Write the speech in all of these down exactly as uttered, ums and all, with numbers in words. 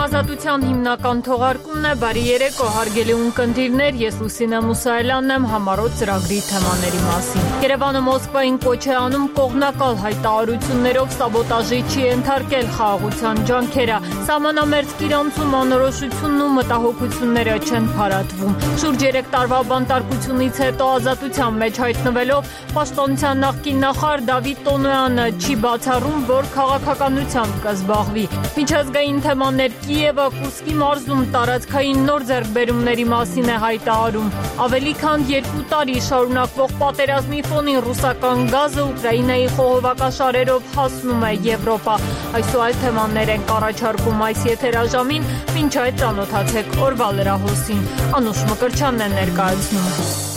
Ազատության հիմնական թողարկումն է, բարի երեկո, հարգելի ունկնդիրներ, ես Լուսինե Մուսայելյանն եմ համառոտ ծրագրի թեմաների մասին։ Երևանը Մոսկվային կոչ է անում կողմնակալ հայտարարություններով սաբոտաժի չի ենթարկել խաղաղության ջանքերը, սահմանամերձ կիրանցում անորոշությունն ու մտահոգությունները չեն փարատվում։ Շուրջ երեք տարվա բանտարկությունից հետո ազատության մեջ հայտնվելով պաշտպանության նախկին նախարար Դավիթ Տոնոյանը չի բացառում, որ քաղաքականությամբ կզբաղվի։ Միջազգային թեմաներ Կիևը Կուրսկի մարզում տարածքային նոր ձեռքբերումների մասին է հայտարարում։ Ավելի քան երկու տարի շարունակվող պատերազմի ֆոնին ռուսական գազը Ուկրաինայի խողովակաշարերով հասնում է Եվրոպա։ Այս ու այլ թեմաներ են առաջարկում այս եթերաժամին, մինչ այդ ծանոթացեք օրվա լրահոսին։ Անուշ Մկրտչյանն է ներկայացնում։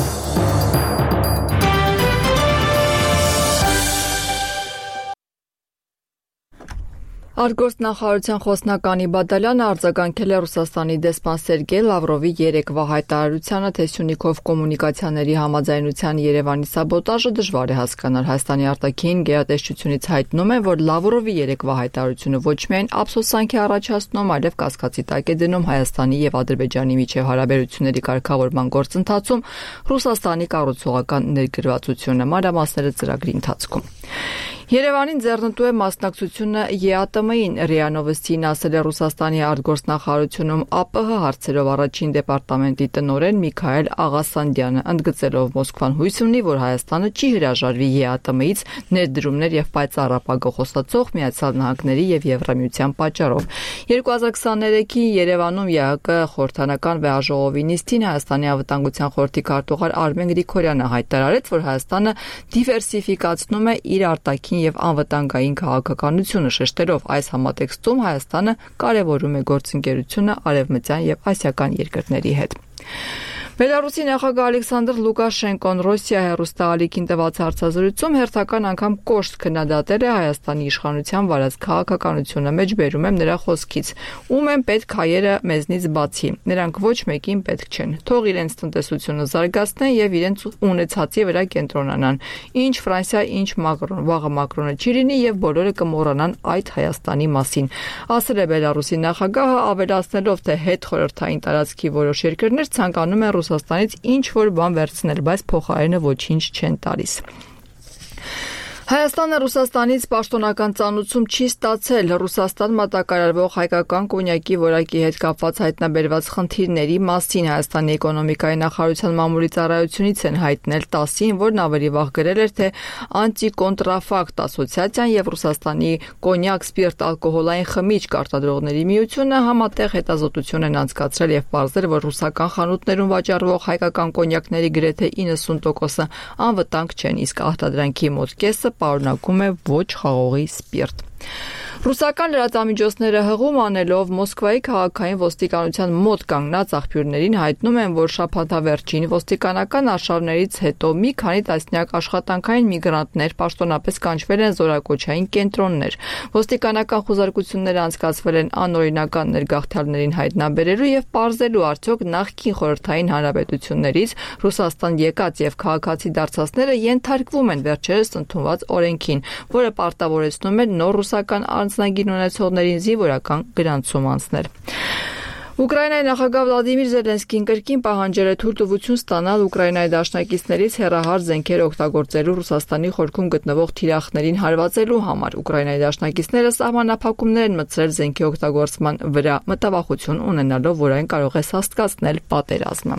Արտգործնախարարության խոսնակ Անի Բադալյանը արձագանքել է Ռուսաստանի դեսպան Սերգեյ Լավրովի երեկվա հայտարարությանը, թե Սյունիքով կոմունիկացիաների համաձայնության Երևանի սաբոտաժը դժվար է հասկանալ։ Հայաստանի արտաքին գերատեսչությունից հայտնում են, որ Լավրովի երեկվա հայտարարությունը ոչ միայն ափսոսանք է առաջացնում, այլև կասկածի տակ է դնում Հայաստանի եւ Ադրբեջանի միջև հարաբերությունների կարգավորման գործընթացում Ռուսաստանի կառուցողական ներգրավվածությունը։ Մանրամասները ծրագրի ընթացքում։ Երևանին ձեռնտու է մասնակցությունը ԵԱՏՄ-ին, ՌԻԱ Նովոստիին ասել է Ռուսաստանի արտգործնախարարությունում ԱՊՀ հարցերով առաջին դեպարտամենտի տնօրեն Միքայել Աղասանդյանը, ընդգծելով Մոսկվան հույս ունի, որ Հայաստանը չի հրաժարվի ԵԱՏՄ-ից ներդրումներ եւ պայծառ ապագա խոստացող Միացյալ Նահանգների եւ Եվրամիության պատճառով։ երկու հազար քսաներեքի Երևանում ԵԱՀԿ խորհրդանական վեաժողովի նիստին Հայաստանի անվտանգության խորհրդի քարտուղար Արմեն Գրիգորյանը հայտարարեց, որ Հայաստանը դիվերսիֆիկացնում է իր արտաքին եւ անվտանգային քաղաքականությունը, շեշտելով այս համատեքստում Հայաստանը կարևորում է գործընկերությունը արևմտյան եւ ասիական երկրների հետ։ Բելարուսի նախագահ Ալեքսանդր Լուկաշենկոն Ռոսիա հեռուստաալիքին տված հարցազրույցում հերթական անգամ կոշտ քննադատել է Հայաստանի իշխանության վարած քաղաքականությունը, մեջբերում եմ նրա խոսքից. «Ում են պետք հայերը մեզնից բացի, նրանք ոչ մեկին պետք չեն, թող իրենց տնտեսությունը զարգացնեն եւ իրենց ունեցածի վրա կենտրոնանան, ինչ Ֆրանսիա, ինչ Մակրոն, վաղը Մակրոնը չի լինի եւ բոլորը կմոռանան այդ Հայաստանի մասին», ասել է Բելարուսի նախագահը, ավելացնելով, թե հետ խորհրդային տարածքի որոշ երկրներ ցանկանում են Ռուսաստանից ինչ որ բան վերցնել, բայց փոխարենը ոչինչ չեն տալիս։ Հայաստանը Ռուսաստանից պաշտոնական ծանուցում չի ստացել Ռուսաստան մատակարարվող հայկական կոնյակի որակի հետ կապված հայտնաբերված խնդիրների մասին։ Հայաստանի էկոնոմիկայի նախարարության մամուլի ծառայությունից են հայտնել տասին, որն ավելի վաղ գրել էր, թե Անտիկոնտրաֆակտ ասոցիացիան եւ Ռուսաստանի կոնյակ սպիրտ ալկոհոլային խմիչք արտադրողների միությունը համատեղ հետազոտություն են անցկացրել եւ պարզել, որ ռուսական խանութներում վաճառվող հայկական կոնյակների գրեթե իննսուն տոկոսը անվտանգ չեն, իսկ արտադրանքի մոտ կեսը պարունակում է ոչ խաղողի սպիրտ։ Ռուսական լրատվամիջոցները հղում անելով Մոսկվայի քաղաքային ոստիկանության մոտ կանգնած աղբյուրներին հայտնում են, որ շաբաթավերջին ոստիկանական արշավներից հետո մի քանի տասնյակ աշխատանքային միգրանտներ պաշտոնապես կանչվել են զորակոչային կենտրոններ։ Ոստիկանական խուզարկությունները անցկացվել են անօրինական ներգաղթյալներին հայտնաբերելու եւ պարզելու, արդյոք նախկին խորհրդային հանրապետություններից Ռուսաստան եկած եւ քաղաքացի դարձածները ենթարկվում են վերջերս ընդունված օրենքին, որը պարտավորեցնում է նոր ռուսական անձնագիր ունեցողներին զինվորական գրանցում անցնել։ Ուկրաինայի նախագահ Վլադիմիր Զելենսկին կրկին պահանջել է թույլտվություն ստանալ Ուկրաինայի դաշնակիցներից հեռահար զենքեր օգտագործելու Ռուսաստանի խորքում գտնվող թիրախներին հարվածելու համար։ Ուկրաինայի դաշնակիցները սահմանափակումներ են մտցրել զենքի օգտագործման վրա, մտավախություն ունենալով, որ այն կարող է սաստկացնել պատերազմը։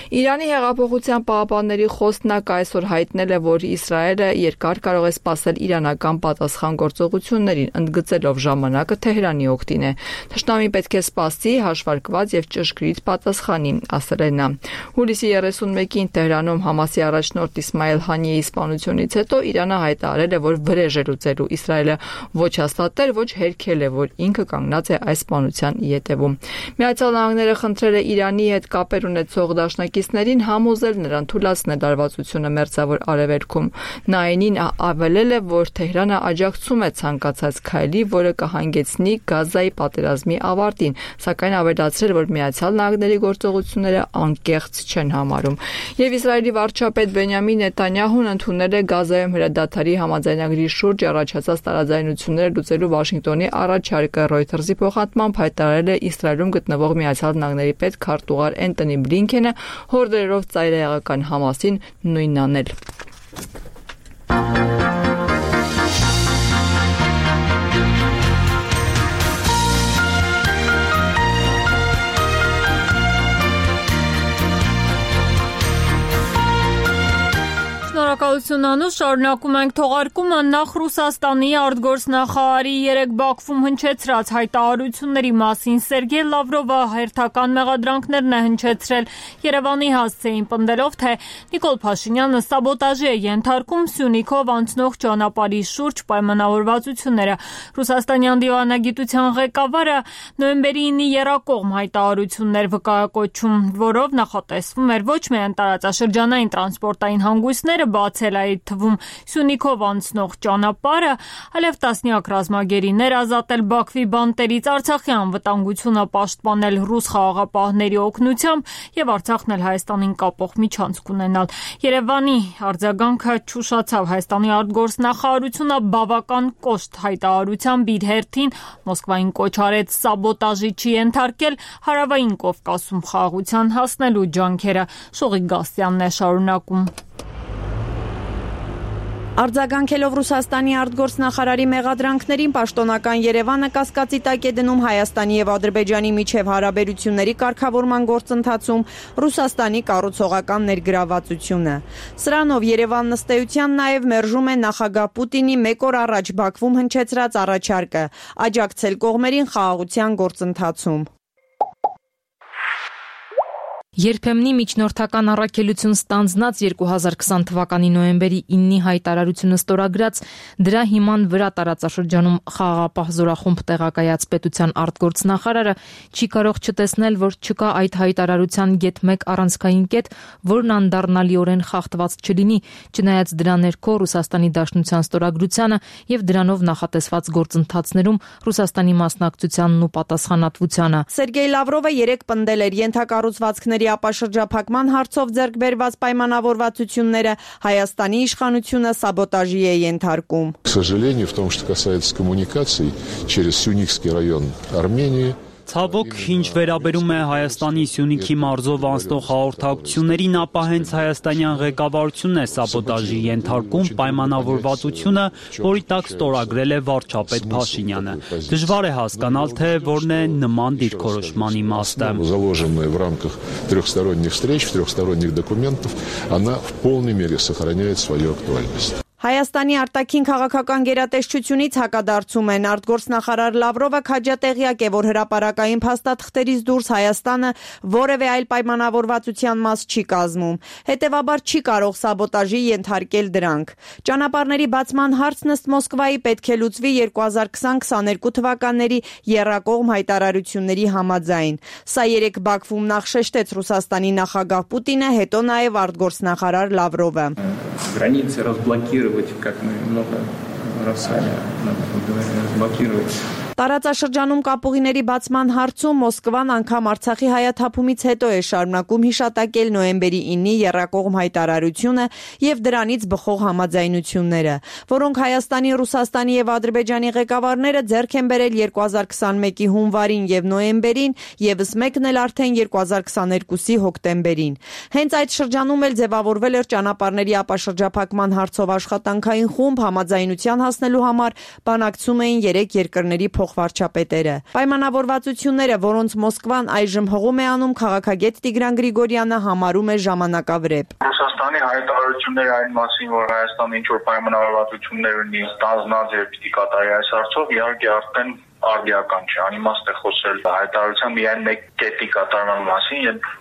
Իրանի հեղափոխության պահապանների խոսնակ այսօր հայտնել է, որ Իսրայելը երկար կարող է սպասել իրանական պատասխան գործողություններին, ընդգծելով ժամանակը Թեհրանի օգտին է։ Թշնամին պետք է սպասի հաշվարկված եւ ճշգրիտ պատասխանի, ասել է նա։ Հուլիսի երեսունմեկին Թեհրանում Համասի առաջնորդ Իսմայել Հանիեի սպանությունից հետո Իրանը հայտարարել է, որ վրեժ է լուծելու, Իսրայելը ոչ հաստատել, ոչ հերքել է, որ ինքը կանգնած է այս սպանության ետևում։ Միացյալ Նահանգները խնդրել է Իրանի հետ կապեր ունեցող դաշնակիցներին համոզել նրան թույլատրել լարվածությունը Մերձավոր Արևելքում։ Նա այնին ավելել է, որ Թեհրանը աջակցում է ցանկացած քայլի, որը կհանգեցնի Գազայի պատերազմի ավարտին, սակայն ավելացրել, որ Միացյալ Նահանգների գործողությունները անկեղծ չեն համարում։ Եվ Իսրայելի վարչապետ Բենյամին Նեթանյահուն ընդունել է Գազայում հրադադարի համաձայնագրի շուրջ առաջացած տարաձայնությունները լուծելու Վաշինգտոնի առաջարկը։ Reuters-ի փոխանցմամբ հայտարարել է Իսրայելում գտնվող Միացյալ Նահանգների պետքարտուղար Էնթոնի Բլինքենը, հորդորելով ծայրահեղական Համասին նույնն անել։ Շնորհակալություն Անուշ, շարունակում ենք թողարկումը նախ Ռուսաստանի արտգործնախարարի երեկ Բաքվում հնչեցրած հայտարարությունների մասին Սերգեյ Լավրովը հերթական մեղադրանքներն է հնչեցրել Երևանի հասցեին, պնդելով, թե Նիկոլ Փաշինյանը սաբոտաժի է ենթարկում Սյունիքով անցնող ճանապարհի շուրջ պայմանավորվածությունները։ Ռուսաստանյան դիվանագիտության ղեկավարը նոյեմբերի ինի եռակողմ հայտարարություններ վկայակոչում, որով նախատեսվում էր ոչ միայն տարածաշրջանային տրանսպորտային հանգույցները բացել, այդ թվում Սյունիքով անցնող ճանապարհը, այլև տասնյակ ռազմագերիներ ազատել Բաքվի բանտերից, Արցախի անվտանգությունը պաշտպանել ռուս խաղաղապահների օգնությամբ եւ Արցախն էլ Հայաստանին կապող միջանցք ունենալ։ Երևանի արձագանքը չուշացավ։ Հայաստանի արտգործնախարարությունը բավական կոշտ հայտարարությամբ իր հերթին Մոսկվային կոչ արեց սաբոտաժի չի ենթարկել Հարավային Կովկասում խաղաղության հասնելու ջանքերը։ Շողիկ Գասյանն է շարունակում։ Արձագանքելով Ռուսաստանի արտգործնախարարի մեղադրանքներին, պաշտոնական Երևանը կասկածի տակ է դնում Հայաստանի եւ Ադրբեջանի միջև հարաբերությունների կարգավորման գործընթացում Ռուսաստանի կառուցողական ներգրավվածությունը։ Սրանով Երևանն ըստ էության նաեւ մերժում է նախագահ Պուտինի մեկ օր առաջ Բաքվում հնչեցրած առաջարկը աջակցել կողմերին խաղաղության գործընթացում։ Երբեմնի միջնորդական առաքելություն ստանձնած երկու հազար քսան թվականի նոյեմբերի իննի հայտարարությունը ստորագրած, դրա հիման վրա տարածաշրջանում խաղաղապահ զորախումբ տեղակայած պետության արտգործնախարարը չի կարող չտեսնել, որ չկա այդ հայտարարության գեթ մեկ առանցքային կետ, որն անդառնալիորեն խախտված չլինի, չնայած դրա ներքո Ռուսաստանի Դաշնության ստորագրությանը եւ դրանով նախատեսված գործընթացներում Ռուսաստանի մասնակցությանն ու պատասխանատվությանը։ Սերգեյ Լավրովը երեկ պնդել էր ենթակառուցվածքների ապաշրջափակման հարցով ձեռք բերված պայմանավորվածությունները Հայաստանի իշխանությունը սաբոտաժի է ենթարկում։ К сожалению, в том, что касается коммуникаций через Сюникский район Армении, Ցավոք, ինչ վերաբերում է Հայաստանի Սյունիքի մարզով անցնող հաղորդակցություններին, ապա հենց հայաստանյան ղեկավարությունն է սաբոտաժի ենթարկում պայմանավորվածությունը, որի տակ ստորագրել է վարչապետ Փաշինյանը։ Դժվար է հասկանալ, թե որն է նման դիրքորոշման իմաստը։ заложенная в рамках трехсторонних встреч, в трехсторонних документов, она в полной мере сохраняет свою актуальность. Հայաստանի արտաքին քաղաքական գերատեսչությունից հակադարձում են արտգործնախարար Լավրովը քաջատեղյակ է, որ հրապարակային փաստաթղթերից դուրս Հայաստանը որևէ այլ պայմանավորվածության մաս չի կազմում, հետևաբար չի կարող սաբոտաժի ենթարկել դրանք։ Ճանապարհների բացման հարցն ըստ Մոսկվայի պետք է լուծվի երկու հազար քսան քսաներկու թվականների եռակողմ հայտարարությունների համաձայն։ Սա երեկ Բաքվում նախ շեշտեց Ռուսաստանի նախագահ Պուտինը, հետո նաև արտգործնախարար Լավրովը։ Границы разблокировать, как мы много раз с вами говорили, разблокировать. Տարածաշրջանում կապուղիների բացման հարցում Մոսկվան անգամ Արցախի հայաթափումից հետո է շարունակում հիշատակել նոյեմբերի իննի եռակողմ հայտարարությունը եւ դրանից բխող համաձայնությունները, որոնք Հայաստանի, Ռուսաստանի եւ Ադրբեջանի ղեկավարները ձեռք են բերել երկու հազար քսանմեկի հունվարին եւ նոյեմբերին, եւս մեկն էլ արդեն երկու հազար քսաներկուսի հոկտեմբերին։ Հենց այդ շրջանում էլ ձևավորվել էր ճանապարհների ապաշրջափակման հարցով աշխատանքային խումբ, համաձայնության հասնելու համար բանակցում էին երեք երկրների վարչապետերը։ Պայմանավորվածությունները, որոնց Մոսկվան այժմ հղում է անում, քաղաքագետ Տիգրան Գրիգորյանը համարում է ժամանակավրեպ։ Ռուսաստանի հայտարարությունները այն մասին, որ Հայաստանը ինչ-որ պայմանավորվածություններ ունի ստանձնած եւ պիտի կատարի այս հարցով, իհարկե արդեն արդիական չէ, անիմաստ է խոսել հայտարարության միայն մեկ կետի կատարման մասին եւ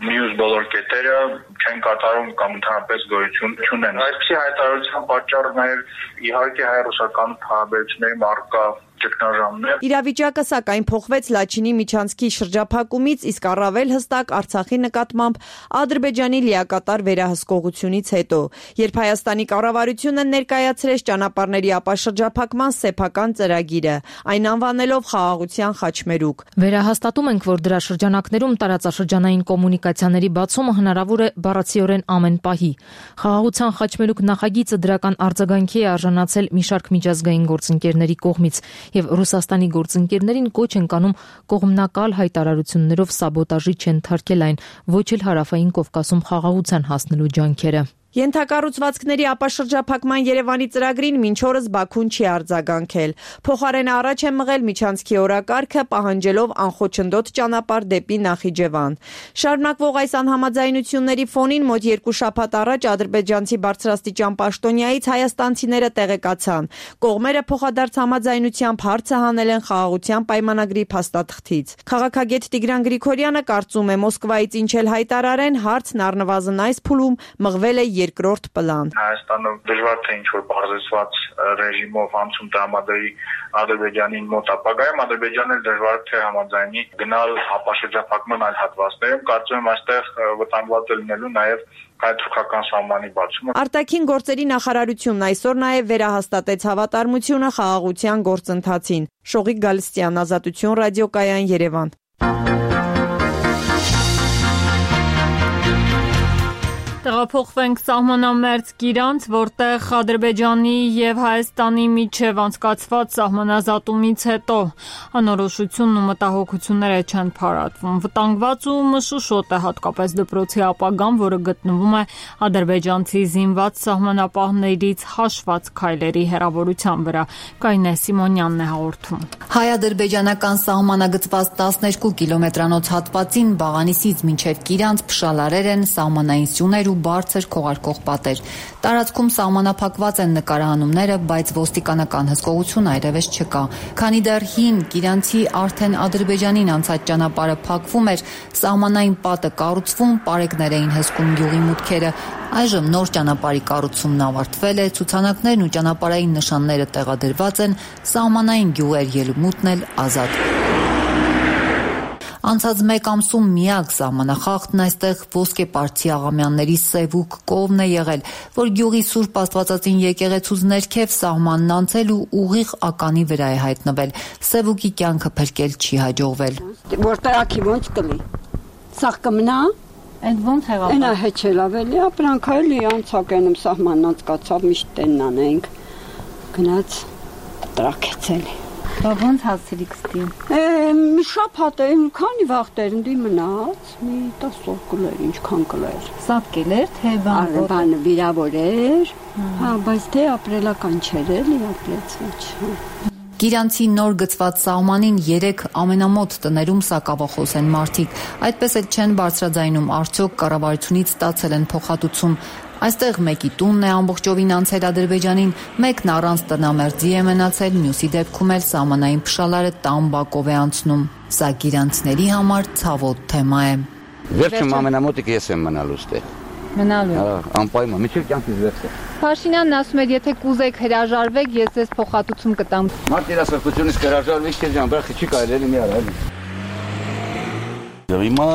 մյուս բոլոր կետերը չեն կատարում կամ ընդհանրապես գոյություն չունեն։ Այսպիսի հայտարարության պատճառը նաև իհարկե հայ-ռուսական հարաբերությունների առկա ճգնաժամն է։ Իրավիճակը սակայն փոխվեց Լաչինի միջանցքի շրջափակումից, իսկ առավել հստակ Արցախի նկատմամբ Ադրբեջանի լիակատար վերահսկողությունից հետո, երբ Հայաստանի կառավարությունը ներկայացրեց ճանապարհների ապաշրջափակման սեփական ծրագիրը, այն անվանելով խաղաղության խաչմերուկ։ Վերահաստատում ենք, որ դրա շրջանակներում տարածաշրջանային կոմունիկացիաների բացումը հնարավոր է բառացիորեն ամեն պահի։ Խաղաղության խաչմերուկ նախագիծը դրական արձագանքի է արժանացել մի շարք միջազգային գործընկերների կողմից, եւ Ռուսաստանի գործընկերներին կոչ են կանում կողմնակալ հայտարարություններով սաբոտաժի չենթարկել այն, ոչ էլ Հարավային Կովկասում խաղաղության հասնելու ջանքերը։ Ենթակառուցվածքների ապաշրջափակման Երևանի ծրագրին մինչ օրս Բաքուն չի արձագանքել։ Փոխարենը առաջ է մղել միջանցքի օրակարգը, պահանջելով անխոչնդոտ ճանապարհ դեպի Նախիջևան։ Շարունակվող այս անհամաձայնությունների ֆոնին մոտ երկու շաբաթ առաջ ադրբեջանցի բարձրաստիճան պաշտոնյայից հայաստանցիները տեղեկացան։ Կողմերը փոխադարձ համաձայնությամբ հարցը հանել են խաղաղության պայմանագրի փաստաթղթից։ Քաղաքագետ Տիգրան Գրիգորյանը կարծում է, Մոսկվայից ինչ էլ հայտարարեն, հարցն առնվազն այս փուլում մղվել է երկրորդ պլան։ Հայաստանը դժվար թե ինչ որ բարձրացված ռեժիմով անցում տրամադրի Ադրբեջանին մոտ ապագայում, Ադրբեջանը դժվար թե համաձայնի գնալ ապաշրջափակման այլ հատվածներում, կարծում եմ այստեղ վտանգված է լինելու նաև հայ-թուրքական սահմանի բացումը։ Արտաքին գործերի նախարարությունն այսօր նաև վերահաստատեց հավատարմությունը խաղաղության գործընթացին։ Շողիկ Գալստյան, Ազատություն ռադիոկայան, Երևան։ Տեղափոխվենք սահմանամերձ Գիրանց, որտեղ Ադրբեջանի եւ Հայաստանի միջև անցկացված սահմանազատումից հետո անորոշությունն ու մտահոգությունները չեն փարատվում։ Վտանգված ու մշուշոտ է հատկապես դպրոցի ապագան, որը գտնվում է ադրբեջանցի զինված սահմանապահներից հաշված քայլերի հեռավորության վրա։ Կայնե Սիմոնյանն է հաղորդում։ Հայ-ադրբեջանական սահմանագծված տասներկու կիլոմետրանոց հատվածին Բաղանիսից մինչև Գիրանց փշալարեր են, սահմանային սյուներ ու բարձր քողարկող պատեր։ Տարածքում սահմանափակված են նկարահանումները, բայց ոստիկանական հսկողություն այլևս չկա։ Քանի դեռ հին Գիրանցի արդեն Ադրբեջանին անցած ճանապարհը փակվում էր, սահմանային պատը կառուցվում, պարեկներ էին հսկում գյուղի մուտքերը։ Այժմ նոր ճանապարհի կառուցումն ավարտվել է, ցուցանակներն ու ճանապարհային նշանները տեղադրված են, սահմանային գյուղեր ելումուտն էլ ազատ։ Անցած մեկ ամսում միակ սահմանախախտն այստեղ ոսկեպարծի աղամյանների Սևուկ կովն է եղել, որ գյուղի Սուրբ Աստվածածին եկեղեցուց ներքև սահմանն անցել ու ուղիղ ականի վրա է հայտնվել։ Սևուկի կյանքը փրկել չի հաջողվել։ Որտեղ ակի ոնց կլի։ Սաղ կմնա։ Այդ ոնց եղավ։ Այնա հեչել ավելի ապրանքայլի անցակենում սահմանն անցկացավ միշտ տեննան ենք։ Գնաց տրակեցել։ Բա ոնց հասցրիք ստին։ Մի շաբաթ է, քանի վաղտեր ընդի մնաց, մի տասը կլեր, ինչքան կլեր։ Սատկել էր, թե բան։ Բանը վիրավոր էր, հա, բայց թե ապրելական չէր էլի, ապրեց ոչ։ Գիրանցի նոր գծված սահմանին երեք ամենամոտ տներում սակավախոս են մարդիկ։ Այդպես էլ չեն բարձրաձայնում, արդյոք կառավարությունից ստացել են փոխհատուցում։ Այստեղ մեկի տունն է ամբողջովին անցել Ադրբեջանին, մեկն առանց տնամերձի է մնացել, մյուսի դեպքում էլ սահմանային փշալարը տան-բակով է անցնում։ Սա գիրանցիների համար ցավոտ թեմա է։ Վերջում ամենամոտիկը ես եմ մնալու ստե։ Մնալու։ Անպայման, միջև կյանքից վերջ է։ Փաշինյանն ասում էր, եթե կուզեք հրաժարվեք, ես ձեզ փոխհատուցում կտամ։ Մարդ երասրտությունից հրաժարվեք, չէ՞ ջան, բրախի չի կարելի մի արա։ Հիմա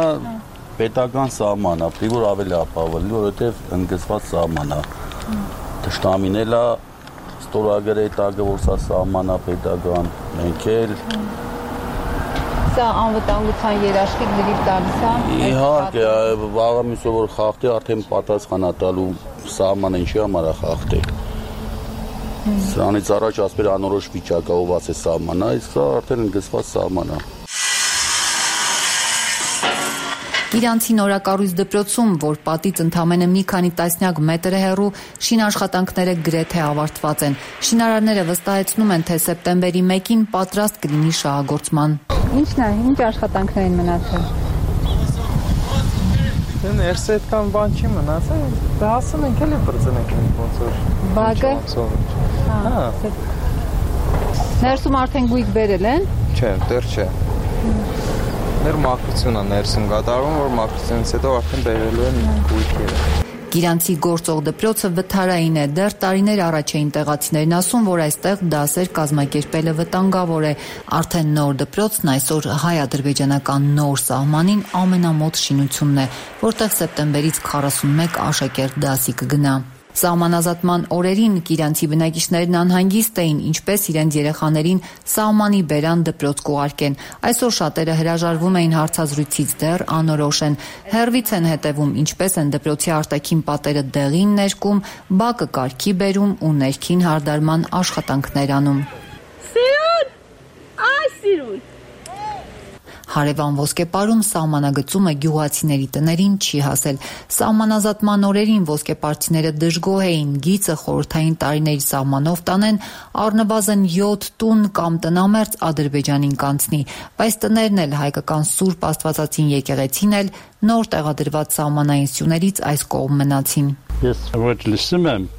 պետական սահման է, որ ավելի ապավելի, որովհետև ընդգծված սահման է։ Թշնամին էլ է ստորագրել տակը, որ սա սահման է պետական, մենք էլ։ Սա անվտանգության երաշխիք դրիվ տալիս է։ Իհարկե, վաղը մյուսը որ խախտի, արդեն պատասխան է տալու սահմանը ինչի համար է խախտել։ Սրանից առաջ ասպեր անորոշ վիճակով է սահմանը, իսկ սա արդեն ընդգծված սահման է։ Գիրանցի նորակառույց դպրոցում, որ պատից ընդամենը մի քանի տասնյակ մետր է հեռու, շինաշխատանքները գրեթե ավարտված են։ Շինարարները վստահեցնում են, թե սեպտեմբերի մեկին պատրաստ կլինի շահագործման։ Ինչն է, ինչ աշխատանքներ են մնացել։ Ներսը այդքան բան չի մնացել, դասն ենք էլի բրծնենք ոնց որ։ Բակը։ Հա։ Ներսում արդեն գույք բերել են։ Չէ, դեռ չէ։ Ներ մաքրությունն է ներսում կատարվում, որ մաքրությունից հետո արդեն բերելու են գույքերը։ Գիրանցի գործող դպրոցը վթարային է, դեռ տարիներ առաջ էին տեղացիներն ասում, որ այստեղ դասեր կազմակերպելը վտանգավոր է։ Արդեն նոր դպրոցն այսօր հայ-ադրբեջանական նոր սահմանին ամենամոտ շինությունն է, որտեղ սեպտեմբերից քառասունմեկ աշակերտ դասի կգնա։ Սահմանազատման օրերին Կիրանցի բնակիչներն անհանգիստ էին, ինչպես իրենց երեխաներին սահմանի բերան դպրոց կուղարկեն։ Այսօր շատերը հրաժարվում էին հարցազրույցից, դեռ անորոշ են։ Հեռվից են հետևում, ինչպես են դպրոցի արտաքին պատերը դեղին ներկում, բակը կարգի բերում ու ներքին հարդարման աշխատանքներ անում։ Սիրուն, այ սիրուն։ Հարևան ոսկեպարում սահմանագծումը գյուղացիների տներին չի հասել։ Սահմանազատման օրերին ոսկեպարցիները դժգոհ էին, գիծը խորհրդային տարիների սահմանով տանեն, առնվազն յոթ տուն կամ տնամերձ Ադրբեջանին կանցնի, բայց տներն էլ հայկական Սուրբ Աստվածածին եկեղեցին էլ նոր տեղադրված սահմանային սյուներից այս կողմ մնացին։ Ես ոչ լսում եմ,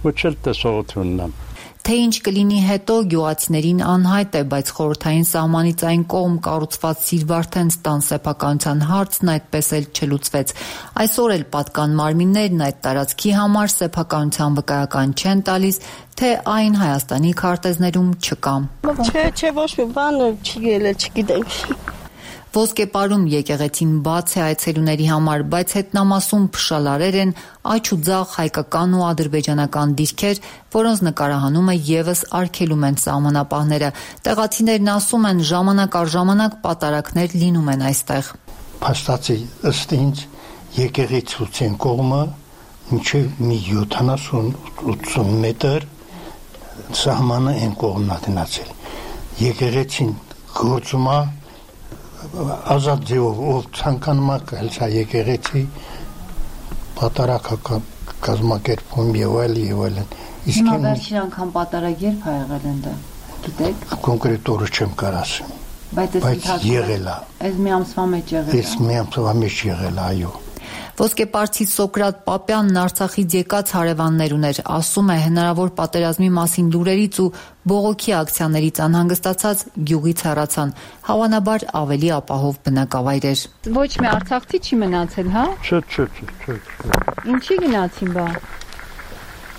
ոչ էլ տեսողություն ունեմ։ Թե ինչ կլինի հետո գյուղացիներին անհայտ է, բայց խորհրդային սահմանից այն կողմ կառուցված Սիրվարդեն ստան սեփականության հարցն այդպես էլ չլուծվեց։ Այսօր էլ պատկան մարմիններն այդ տարածքի համար սեփականության վկայական չեն տալիս, թե այն Հայաստանի քարտեզներում չկա։ Չէ, չէ, ոչ մի բան չի ելել, չգիտեմ։ Ոսկեպարում եկեղեցին բաց է այցելուների համար, բայց հետնամասում փշալարեր են, աջ ու ձախ հայկական ու ադրբեջանական դիրքեր, որոնց նկարահանումը եւս արգելում են սահմանապահները։ Տեղացիներն ասում են, ժամանակ առ ժամանակ պատարակներ լինում են այստեղ։ Փաստացի ըստ ինձ եկեղեցուցին կողմը մինչև մի յոթանասուն ութսուն մետր սահմանը են կողմնա տնացել։ Եկեղեցին գործում է ազատ ձևով, ով ցանկանում է կհելցա եկեղեցի պատարակական կազմակերպում եւ այլ եւ այլն։ Իսկ վերջին անգամ պատարակ երբ ա եղել այնտեղ, գիտեք։ Կոնկրետ օրը չեմ կարող ասեմ։ Բայց եղել է։ Այս մի ամսվա մեջ եղել է։ Այս մի ամսվա մեջ եղել է, այո։ Ոսկեպարցի Սոկրատ Պապյանն Արցախից եկած հարևաններ ուներ, ասում է հնարավոր պատերազմի մասին լուրերից ու բողոքի ակցիաներից անհանգստացած գյուղից հեռացան, հավանաբար ավելի ապահով բնակավայր էր։ Ոչ մի արցախցի չի մնացել, հա։ Չէ, չէ, չէ, չէ։ Ինչի գնացին բա։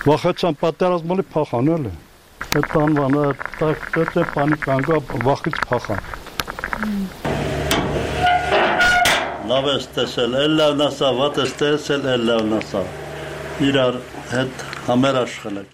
Վախեցան պատերազմի փախանել է։ Այդ անվանը так դե պանիկանգա վախից փախան։ Լավ ես տեսել, էլ լավն ասա, վատ ես տեսել, էլ լավն ասա, իրար հետ համերաշխել է։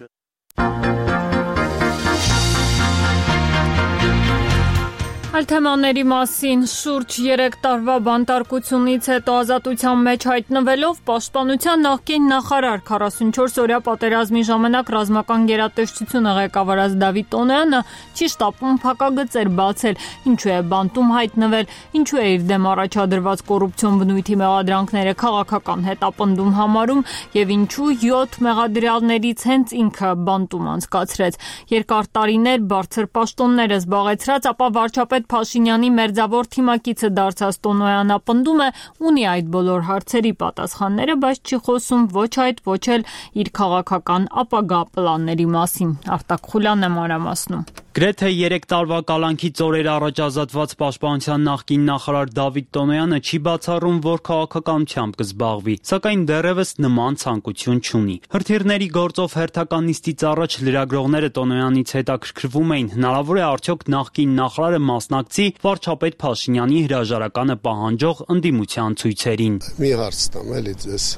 Այլ թեմաների մասին շուրջ երեք տարվա բանտարկությունից հետո ազատության մեջ հայտնվելով պաշտպանության նախկին նախարար քառասունչորս օրյա պատերազմի ժամանակ ռազմական գերատեսչությունը ղեկավարած Դավիթ Տոնոյանը չի շտապում փակագծեր բացել, ինչու է բանտում հայտնվել, ինչու է իր դեմ առաջադրված կոռուպցիոն բնույթի մեղադրանքները քաղաքական հետապնդում համարում եւ ինչու յոթ մեղադրյալներից հենց ինքը բանտում անցկացրեց։ Երկար տարիներ բարձր պաշտոններ զբաղեցրած, ապա վարչապետ Փաշինյանի մերձավոր թիմակիցը դարձած Տոնոյանը պնդում է ունի այդ բոլոր հարցերի պատասխանները, բայց չի խոսում ոչ այդ, ոչ էլ իր քաղաքական ապագա պլանների մասին։ Արտակ Խուլյանն է մանրամասնում։ Գրեթե երեք տարվա կալանքից օրեր առաջ ազատված պաշտպանության նախկին նախարար Դավիթ Տոնոյանը չի բացառում, որ քաղաքականությամբ կզբաղվի, սակայն դեռևս նման ցանկություն չունի։ Հրթիռների գործով հերթական նիստից առաջ լրագրողները Տոնոյանից հետաքրքրվում էին, հնարավոր է արդյոք նախկին նախարարը մասնակցի վարչապետ Փաշինյանի հրաժարականը պահանջող ընդդիմության ցույցերին։ Մի հարց տամ էլի ձեզ։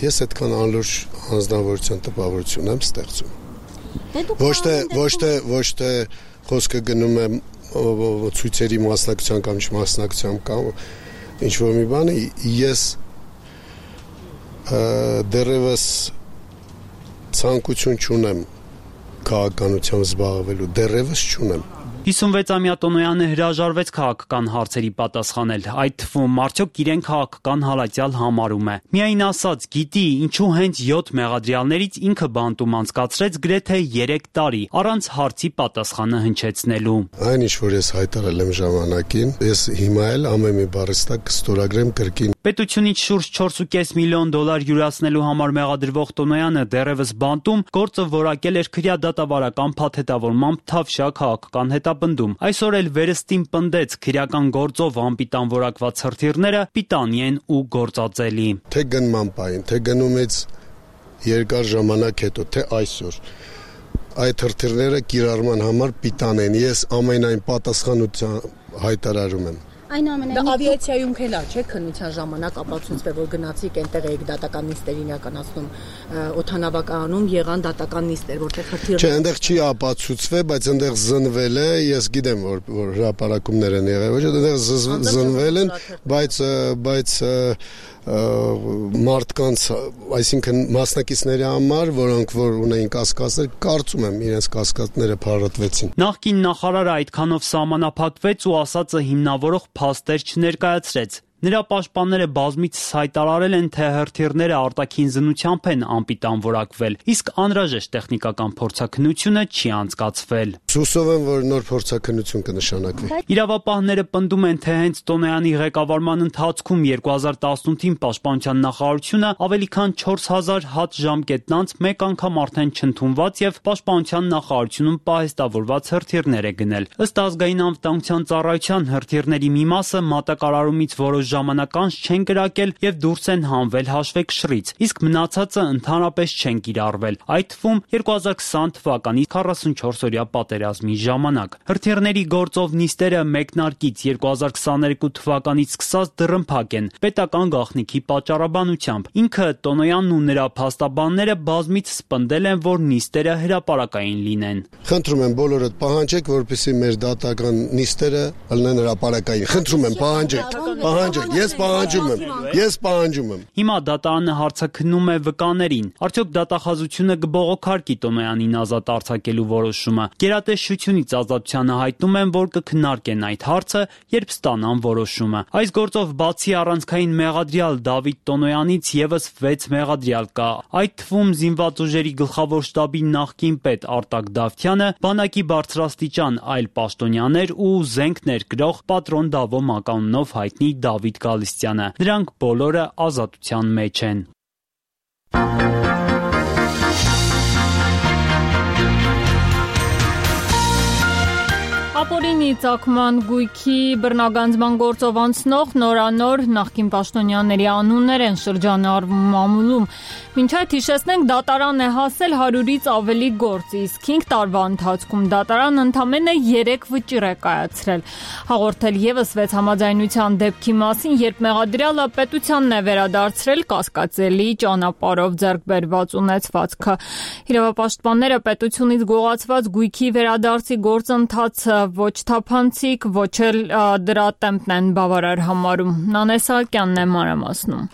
Ես այդքան անլուրջ անձնավորության տպավորություն եմ ստեղծում։ Ոչ թե ոչ թե ոչ թե խոսքը գնում է ցույցերի մասնակցության կամ չմասնակցության կամ ինչ որ մի բանի, ես դեռևս ցանկություն չունեմ քաղաքականությամբ զբաղվելու, դեռևս չունեմ։ հիսունվեցամյա Տոնոյանը հրաժարվեց քաղաքական հարցերի պատասխանել, այդ թվում արդյոք իրեն քաղաքական հալածյալ համարում է։ Միայն ասած, գիտի, ինչու հենց յոթ մեղադրյալներից ինքը բանտում անցկացրեց գրեթե երեք տարի, առանց հարցի պատասխանը հնչեցնելու։ Այն ինչ որ ես հայտարարել եմ ժամանակին, ես հիմա էլ ամեն մի բառստակ կստորագրեմ կրկին։ Պետությունից շուրջ չորս ու կես միլիոն դոլար յուրացնելու համար մեղադրվող Տոնոյանը դեռևս բանտում գործը որակել էր քրեադատավարական փաթեթավորմամբ Թավշյա քաղաքական հետապնդում։ Այսօր էլ վերստին պնդեց քրեական գործով անպիտան որակված հրթիռները պիտանի են ու գործածելի։ Թե գնման պայն, թե գնումից երկար ժամանակ հետո, թե այսօր այդ հրթիռները կիրառման համար պիտան են։ Ես ամենայն պատասխանության հայտարարում եմ։ Այնուամենայնիվ ավիացիայում քելա չէ քննության ժամանակ ապացուցվել որ գնացիք այնտեղ եք դատական նիստերին իրականացնում օթանավականում եղան դատական նիստեր որտեղ հրթիռ Չէ, այնտեղ չի ապացուցվել, բայց այնտեղ զնվել է, ես գիտեմ որ որ հրապարակումներ են եղել, ոչ այնտեղ զնվել են, բայց բայց մարդկանց, այսինքն մասնակիցների համար, որոնք որ ունեին կասկածներ, կարծում եմ իրենց կասկածները փարատվեցին։ Նախկին նախարարը այդքանով սահմանափակվեց ու ասածը հիմնավորող փաստեր չներկայացրեց։ Նրա պաշտպանները բազմիցս հայտարարել են, թե հրթիռները արտաքին զնությամբ են անպիտանորակվել, իսկ անհրաժեշտ տեխնիկական փորձաքննությունը չի անցկացվել։ Հուսով եմ, որ նոր փորձաքննություն կնշանակվի։ Իրավապահները պնդում են, թե հենց Տոնոյանի ղեկավարման ընթացքում երկու հազար տասնութին Պաշտպանության նախարարությունը ավելի քան չորս հազար հատ ժամկետնանց մեկ անգամ արդեն չընդունված եւ Պաշտպանության նախարարությունում պահեստավորված հրթիռներ է գնել։ Ըստ ազգային անվտանգության ծառայության հրթիռների մի մասը մատակարարումից որոշ ժամանակ անց չեն կրակել եւ դուրս են հանվել հաշվեկշռից, իսկ մնացածը ընդհանրապես չեն կիրառվել, այդ թվում երկու հազար քսան թվականի քառասունչորս-օրյա պատերազմի ժամանակ։ Հրթիռների գործով նիստերը մեկնարկից երկու հազար քսաներկու թվականից սկսած դռնփակ են պետական գաղտնիքի պատճառաբանությամբ։ Ինքը Տոնոյանն ու նրա փաստաբանները բազմիցս պնդել են, որ նիստերը հրապարակային լինեն։ Խնդրում եմ բոլորդ պահանջեք, որպեսզի մեր դատական նիստերը լինեն հրապարակային։ Խնդրում եմ պահանջեք, պահանջեք, ես պահանջում եմ, ես պահանջում եմ։ Հիմա դատարանը հարցաքննում է վկաներին։ Արդյոք դատախազությունը կբողոքարկի Տոնոյանին ազատ արձակելու որոշումը։ Գերատեսչությունից ազատությանը հայտնում են, որ կքննարկեն այդ հարցը, երբ ստանան որոշումը։ Այս գործով բացի առանցքային մեղադրյալ Դավիթ Տոնոյանից եւս վեց մեղադրյալ կա։ Այդ թվում զինված ուժերի գլխավոր շտաբի նախկին պետ Արտակ Դավթյանը, բանակի բարձրաստիճան այլ պաշտոնյաներ ու զենք ներկրող պատրոն Դավո մականունով հայտնի Դավիթ Գալստյանը։ Նրանք բոլորը ազատության մեջ են։ Ապօրինի ծագման գույքի բռնագանձման գործով անցնող նորանոր նախկին պաշտոնյաների անուններ են շրջանառվում մամուլում։ Մինչ այդ հիշեցնենք, դատարան է հասել հարյուրից ավելի գործ, իսկ հինգ տարվա ընթացքում դատարան ընդամենը երեք վճիռ է կայացրել։ Հաղորդել եւս վեց համաձայնության դեպքի մասին, երբ մեղադրյալը պետությանն է վերադարձրել կասկածելի ճանապարհով ձեռք բերված ունեցվածքը։ Իրավապաշտպանները պետությունից գողացված գույքի վերադարձի գործընթացը ոչ թափանցիկ, ոչ էլ դրա տեմպն են բավարար համարում։ Նանե Սահակյանն է մանրամասնում։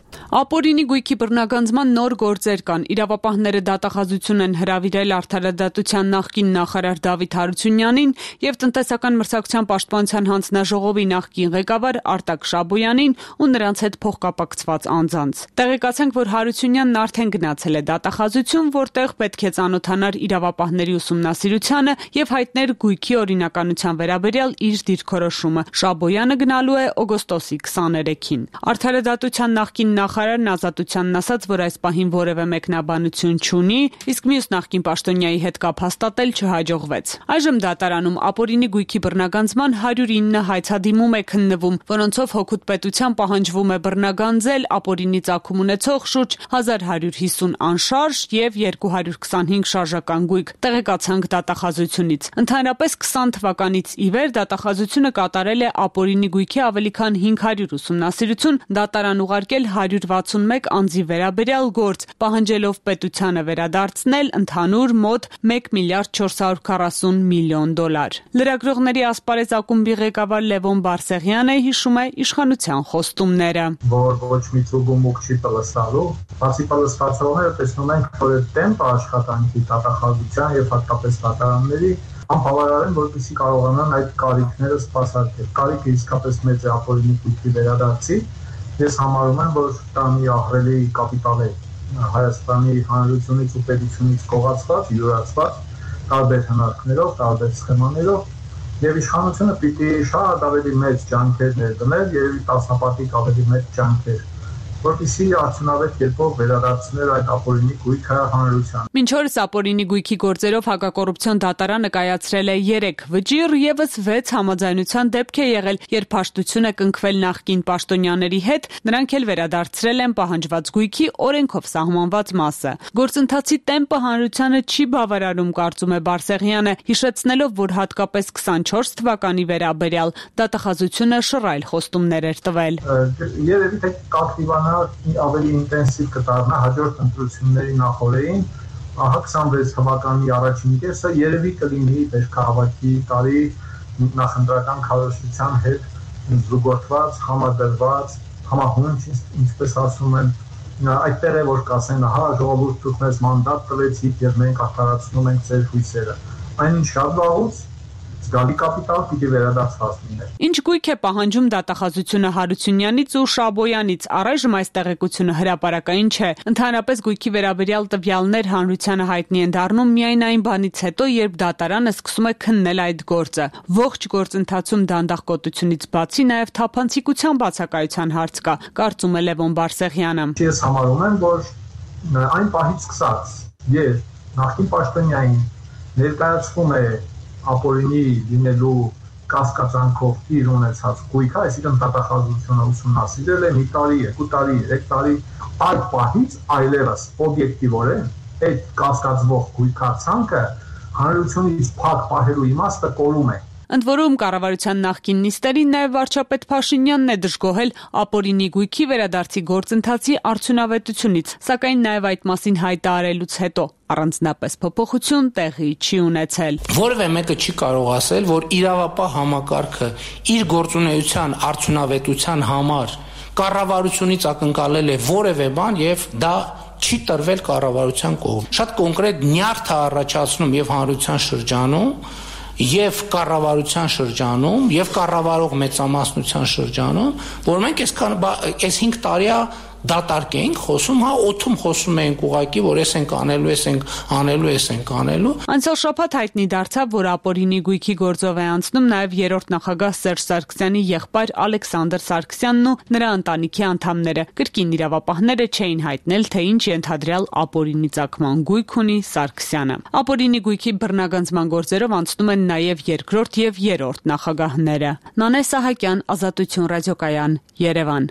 Ապօրինի գույքի բռնագանձման նոր գործեր կան։ Իրավապահները դատախազություն են հրավիրել Արդարադատության նախկին նախարար Դավիթ Հարությունյանին եւ տնտեսական մրցակցության պաշտպանության հանձնաժողովի նախկին ղեկավար Արտակ Շաբոյանին ու նրանց հետ փոխկապակցված անձանց։ Տեղեկացանք, որ Հարությունյանն արդեն գնացել է դատախազություն, որտեղ պետք է ծանոթանար իրավապահների ուսումնասիրությանը եւ հայտներ գույքի օրինականության վերաբերյալ իր դիրքորոշումը։ Շաբոյանը գնալու է օգոստոսի քսաներեքին։ Արդարադատության նախկին նախարարն ազատությանն ասաց, որ այս պահին որևէ մեկնաբանություն չունի, իսկ մյուս նախկին պաշտոնյայի հետ կապ հաստատել չհաջողվեց։ Այժմ դատարանում ապօրինի գույքի բռնագանձման հարյուր ինը հայցադիմում է քննվում, որոնցով հօգուտ պետության պահանջվում է բռնագանձել ապօրինի ծագում ունեցող շուրջ հազար հարյուր հիսուն անշարժ եւ երկու հարյուր քսանհինգ շարժական գույք։ Տեղեկացանք դատախազությունից։ Ընդհանրապես քսան թվականից ի վեր դատախազությունը կատարել է ապօրինի գույքի ավելի քան հինգ հարյուր ուսումնասիրություն, դատարան ուղարկել հարյուր վաթսունմեկ անձի վերաբերյալ գործ, պահանջելով պետությանը վերադարձնել ընդհանուր մոտ մեկ միլիարդ չորս հարյուր քառասուն միլիոն դոլար։ Լրագրողների ասպարեզ ակումբի ղեկավար Լևոն Բարսեղյանը հիշում է իշխանության խոստումները, որ ոչ մի ծուգումուկ չի պլսալու, բացի պլսվածողները տեսնում ենք, որ տեմպը աշխատանքի դատախազության եւ հատկապես դատարանների անբավարար են, որպեսզի կարողանան այդ կարիքները սպասարկել։ Կարիքը իսկապես մեծ է ապօրինի գույքի վերադարձի։ Ես համարում եմ, որ դա մի ահռելի կապիտալ է Հայաստանի Հանրությունից ու պետությունից կողացված, յուրացված տարբեր հնարքներով, տարբեր սխեմաներով, եւ իշխանությունը պիտի շատ ավելի մեծ ջանքեր ներդներ, երևի տասնապատիկ ավելի մեծ ջանքեր որպեսզի արդյունավետ կերպով վերադարձնել այդ ապօրինի գույքը հանրությանը։ Մինչ օրս ապօրինի գույքի գործերով հակակոռուպցիոն դատարանը կայացրել է երեք վճիռ, եւս վեց համաձայնության դեպք է եղել, երբ հաշտություն է կնքվել նախկին պաշտոնյաների հետ, նրանք էլ վերադարձրել են պահանջված գույքի օրենքով սահմանված մասը։ Գործընթացի տեմպը հանրությանը չի բավարարում, կարծում է Բարսեղյանը, հիշեցնելով, որ հատկապես քսանչորս թվականի վերաբերյալ դատախազությունը շռայլ խոստումներ էր տվել։ Երևի թե կակտիվանա ավելի ինտենսիվ կդառնա հաջորդ ընտրությունների նախօրեին, ահա քսանվեց թվականի առաջին կեսը երևի կլինի վերջահավաքի տարի նախընտրական քարոզչության հետ զուգորդված, համադրված, համահունչ, ինչպես ասում են, այդտեղ է որ կասեն, ահա ժողովուրդ դուք մեզ մանդատ տվեցիք եւ մենք արդարացնում ենք ձեր հույսերը։ Այնինչ շատ վաղուց զգալի կապիտալ պիտի վերադարձված լիներ։ Ինչ գույք է պահանջում դատախազությունը Հարությունյանից ու Շաբոյանից, առայժմ այս տեղեկությունը հրապարակային չէ։ Ընդհանրապես գույքի վերաբերյալ տվյալներ հանրությանը հայտնի են դառնում միայն այն բանից հետո, երբ դատարանը սկսում է քննել այդ գործը։ Ողջ գործընթացում դանդաղկոտությունից բացի նաև թափանցիկության բացակայության հարց կա, կարծում է Լևոն Բարսեղյանը։ Ես համարում եմ, որ այն պահից սկսած, երբ նախկին պաշտոնյային ներկայացվում է ապօրինի լինելու կասկածանքով իր ունեցած գույքը, այսինքն դատախազությունը ուսումնասիրել է մի տարի, երկու տարի, երեք տարի, այդ պահից այլևս օբյեկտիվորեն այդ կասկածվող գույքացանքը հանրությունից փակ պահելու իմաստը կորում է։ Ընդ որում կառավարության նախկին նիստերին նաև վարչապետ Փաշինյանն է դժգոհել ապօրինի գույքի վերադարձի գործընթացի արդյունավետությունից, սակայն նաև այդ մասին հայտարարելուց հետո առանձնապես փոփոխություն տեղի չի ունեցել։ Որևէ մեկը չի կարող ասել, որ իրավապահ համակարգը իր գործունեության արդյունավետության համար կառավարությունից ակնկալել է որևէ բան եւ դա չի տրվել կառավարության կողմից։ Շատ կոնկրետ նյարդ է առաջացնում եւ հանրության շրջանում եւ կառավարության շրջանում եւ կառավարող մեծամասնության շրջանում, որ մենք այսքան այս հինգ տարի դատարկ էինք խոսում, հա օթում խոսում էինք ուղակի, որ էս ենք անելու, էս ենք անելու, էս ենք անելու։ Անցյալ շաբաթ հայտնի դարձավ, որ ապօրինի գույքի գործով է անցնում նաև երրորդ նախագահ Սերժ Սարգսյանի եղբայր Ալեքսանդր Սարգսյանն ու նրա ընտանիքի անդամները։ Կրկին իրավապահները չէին հայտնել, թե ինչ ենթադրյալ ապօրինի ծագման գույք ունի Սարգսյանը։ Ապօրինի գույքի բռնագանձման գործերով անցնում են նաև երկրորդ եւ երրորդ նախագահները։ Նանե Սահակյան, Ազատություն ռադիոկայան, Երևան։